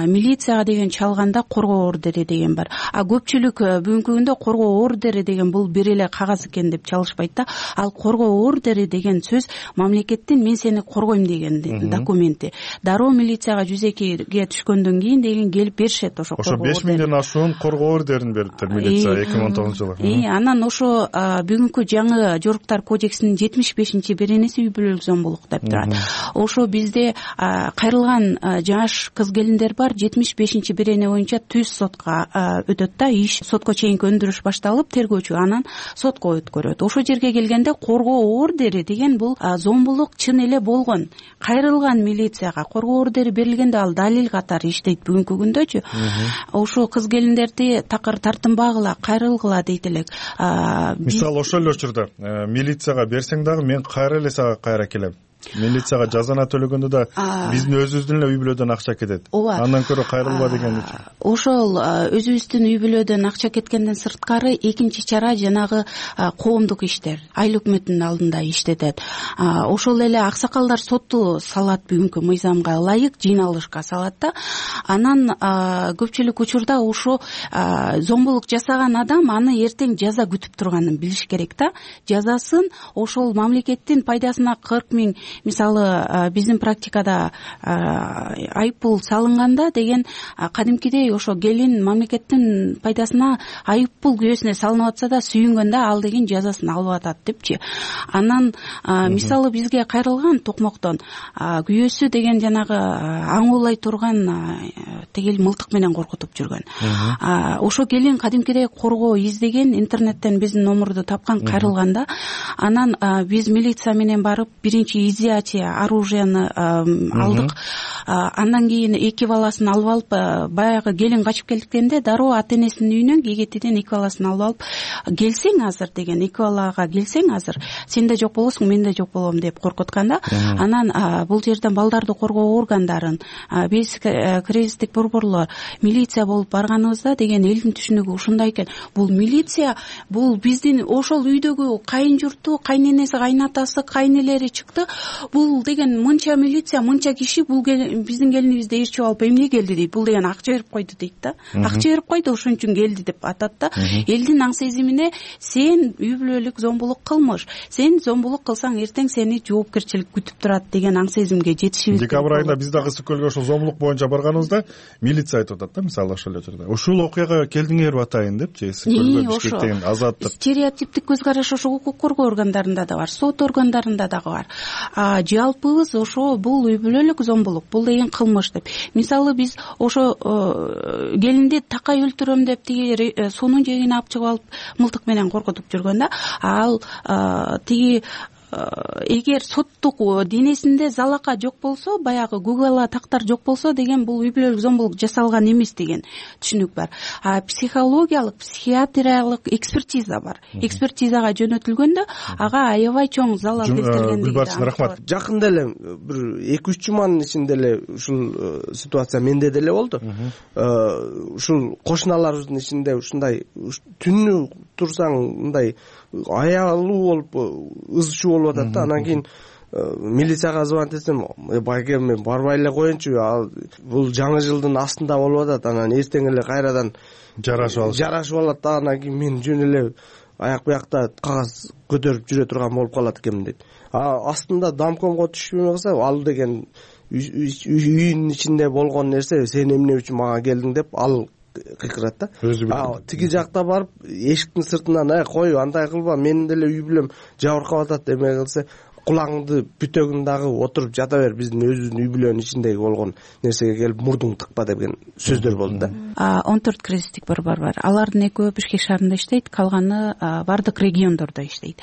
милицияга деген чалганда коргоо ордери деген бар. Көпчүлүк бүгүнкү күндө коргоо ордери деген бул бир эле кагаз экен деп чалышпайт да. Ал коргоо ордери деген сөз мамлекеттин мен сени коргойм деген документи. Дароо милицияга жүзөкөйгө түшкөндөн кийин деген келип беришет ошо коргоо ордери. Ошо 5 миңден ашуун коргоо ордерин бериптир милиция 2019-жылы. Анан ошо бүгүнкү жаңы жоруктар кодексинин 75-беренеси үй бүлөлүк зомбулук деп турат. Ошо бизде кайрылган жаш кыз келиндер бар, 75-берене боюнча түз сотко өтөт да, иш сотко чейинки өндүрүш башталып, тергөөчү анан сотко өткөрөт. Ошо жерге келгенде коргоо ордери деген бул зомбулук чын эле болгон. Кайрылган милицияга коргоо ордери берилгенде ал далил катары иштейт бүгүнкү күндөчү. Ошо кыз келиндерди такыр тартынбагыла, кайрылгыла дейт элек. Мисалы ошол эле учурда милицияга берсең дагы мен кайра эле сага кайра келем. Милицияга жазана төлөгөндө да биздин өзүбүздүн эле үй бүлөдөн акча кетет. Андан көрө кайрылба деген. Ошол өзүбүздүн үй бүлөдөн акча кеткенден сырткары экинчи чара жанагы коомдук иштер, айыл өкмөтүнүн алдында иштетет. Ошол эле аксакалдар сотту салат бүгүнкү мыйзамга ылайык жыйналышка салат да. Анан көпчүлүк учурда ошо зомбулук жасаган адам аны эртең жаза күтүп турганын билиш керек да. Жазасын ошол мамлекеттин пайдасына 40 миң, мисалы биздин практикада айыппул салынганда деген кадимкидей ошо келин мамлекеттин пайдасына айыппул күбөсүнө салынып атса да сүйүнгөндө ал деген жазасын алып атат депчи. Анан мисалы бизге кайрылган токмоктон күбөсү деген жанагы аңуулай турган тигил мылтык менен коркутуп жүргөн. Ошо келин кадимкидей коргоо издеген, интернеттен биздин номурду тапкан, кайрылганда анан биз милиция менен барып биринчи изъятие оружияны алдык. Андан кийин эки баласын алып алып, баягы келин качып келгенде дароо ата энесинин үйүнөн Гегетиден эки баласын алып алып, келсең азыр деген, эки балага келсең азыр сен да жок болосуң, мен да жок болом деп коркутканда, анан бул жерден балдарды коргоо органдарын, биз кризистик борборлор, милиция болуп барганыбызда деген элдин түшүнүгү ушундай экен. Бул милиция, бул биздин ошол үйдөгү кайын журту, кайненеси, кайнатасы, кайнелери чыкты. Бул деген мынча милиция, мынча киши бул биздин келинибизди ээрчип алып эмне келди дейт. Бул деген акча берип койду дейт да. Акча берип койду, ошон үчүн келди деп атат да. Элдин аң сезимине сен үй бүлөлүк зомбулук кылмыш, сен зомбулук кылсаң эртең сени жоопкерчилик күтүп турат деген аң сезимге жетишибиз. Декабрь айында биз дагы ысык-көлгө ошол зомбулук боюнча барганыбызда милиция айтып атат да, мисалы ошол жерде. Ушул окуяга келдиңерби атайын депчи, ысык-көлгө Бишкектен азаттык. Стереотиптик көз караш ошо укук коргоо органдарында да бар, сот органдарында дагы бар. Жалпыбыз ошо бул үй бүлөлүк зомбулук, бул деген кылмыш деп. Мисалы биз ошо келинди такай өлтүрөм деп тиги суунун жээгине алып чыгып алып мылтык менен коркутуп жүргөн да. Ал тиги эгер соттук денесинде залака жок болсо, баягы гугала тактар жок болсо деген бул үй бүлөлүк зомбулук жасалган эмес деген түшүнүк бар. Психологиялык, психиатриялык экспертиза бар. Экспертизага жөнөтүлгөндө ага аябай чоң залал келтирген. Гүлбарчын, рахмат. Жакында эле бир 2-3 жуманын ичинде эле ушул ситуация менде деле болду. Ушул кошуналарыбыздын ичинде ушундай түнү турсаң мындай аялуу болуп ыз чуу болуп атат да. Анан кийин милицияга звонить этсем, байке мен барбай эле коеюнчу, бул жаңы жылдын астында болуп атат. Анан эртең эле кайрадан жарашып алат да. Анан кийин мен жөн эле аяк буякта кагаз көтөрүп жүрө турган болуп калат экенмин дейт. Астында домкомго түшпөй калса, ал деген үйүнүн ичинде болгон нерсе, сен эмне үчүн мага келдиң деп ал кыйкырат да. Тиги жакта барып эшиктин сыртынан кой, андай кылба, менин деле үй бүлөм жабыркап атат эме кылса, кулагыңды бүтөгүн дагы отуруп жата бер, биздин өзүбүздүн үй бүлөнүн ичиндеги болгон нерсеге келип мурдуң тыкпа деген сөздөр болду да. 14 кризистик борбор бар. Алардын экөө Бишкек шаарында иштейт, калганы бардык региондордо иштейт.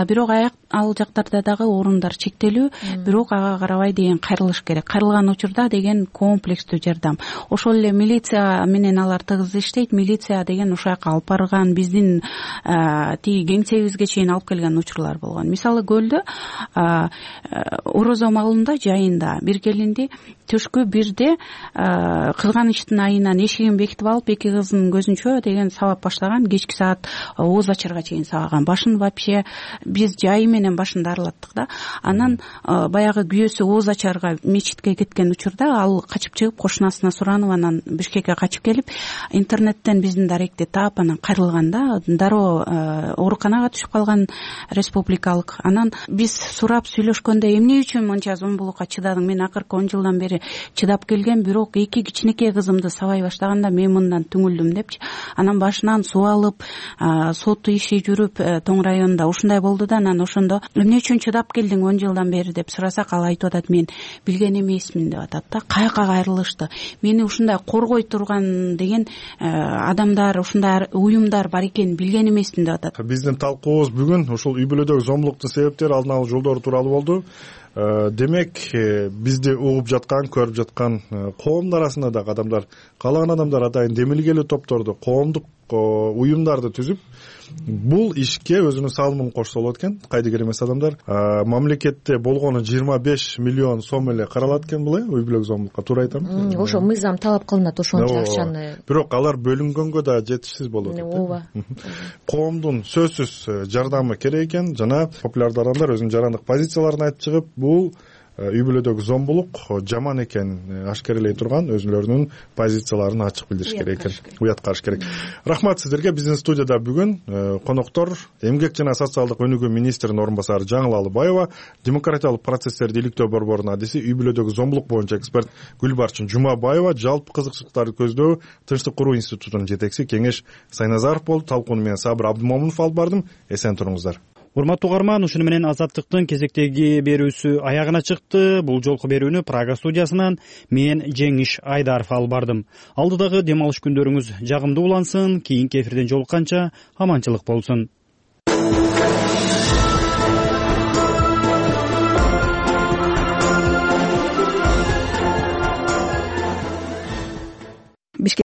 Бирок ал жактарда дагы орундар чектелүү, бирок ага карабай деген кайрылыш керек. Кайрылган учурда деген комплекстүү жардам. Ошол эле милиция менен алар тыгыз иштейт. Милиция деген ошол жака алып барган, биздин тиги кеңсебизге чейин алып келген учурлар болгон. Мисалы Көлдө орозо маалында жайында бир келинди төшкө бирде кызганычтын айынан эшигин бекитип алып эки кызынын көзүнчө деген сабап баштаган, кечки саат ооз ачарга чейин сабаган. Башын вообще биз жайы менен башын дарылаттык да. Анан баягы күйөөсү ооз ачарга мечитке кеткен учурда ал качып чыгып кошунасына суранып, анан Бишкекке качып келип интернеттен биздин даректи таап анан кайрылган да. Дароо ооруканага түшүп калган республикалык. Анан биз сурап сүйлөшкөндө эмне үчүн мынча зомбулукка чыдадың? Мен акыркы 10 жылдан бери чыдап келгем, бирок эки кичинекей кызымды сабай баштаганда мен мындан түңүлдүм депчи. Анан башынан суу алып, сот иши жүрүп Тоң районунда ушундай болду да. Анан ошондо эмне үчүн чыдап келдиң 10 жылдан бери деп сурасак, ал айтып атат, мен билген эмесмин деп атат да. Каяка кайрылышты. Мени ушундай коргой турган деген адамдар, ушундай уюмдар бар экенин билген эмесмин деп атат. Биздин талкуубуз бүгүн ушул үй бүлөдөгү зомбулуктун себептери, алдын алуу жолдору тууралуу болду. Демек, бизди угуп жаткан, көрүп жаткан коомдун арасында дагы адамдар, каалаган адамдар атайын демилгелүү топторду, коомдук уюмдарды түзүп, бул ишке өзүнүн салымын кошсо болот экен. Кайдыгер эмес адамдар. Мамлекетте болгону 25 миллион сом эле каралат экен бул, үй бүлө зомбулукка, туура айтамбы? Ошо мыйзам талап кылынат ошончо акчаны. Бирок алар бөлүнгөнгө да жетишсиз болот. Ооба. Коомдун сөзсүз жардамы керек экен. Жана популярдуу адамдар өзүнүн жарандык позицияларын айтып чыгып, бул үй бүлөдөгү зомбулук жаман экенин ашкерелей турган өзүлөрүнүн позицияларын ачык билдириш керек экен, уят караш керек. Рахмат сиздерге. Биздин студияда бүгүн коноктор эмгек жана социалдык өнүгүү министринин орун басары Жаңыл Алыбаева, демократиялык процесстерди иликтөө борборунун адиси, үй бүлөдөгү зомбулук боюнча эксперт Гүлбарчын Жумабаева, жалпы кызыкчылыктарды көздөө Тынчтык куруу институтунун жетекчиси Кеңеш Сайназаров болду. Талкууну менен Сабыр Абдымомунов алып бардым. Эсен туруңуздар. Урматтуу угарман, ушуну менен Азаттыктын кезектеги берүүсү аягына чыкты. Бул жолку берүүнү Прага студиясынан мен Жеңиш Айдаров алып бардым. Алдыдагы дем алыш күндөрүңүз жагымдуу улансын. Кийинки эфирден жолукканча аманчылык болсун.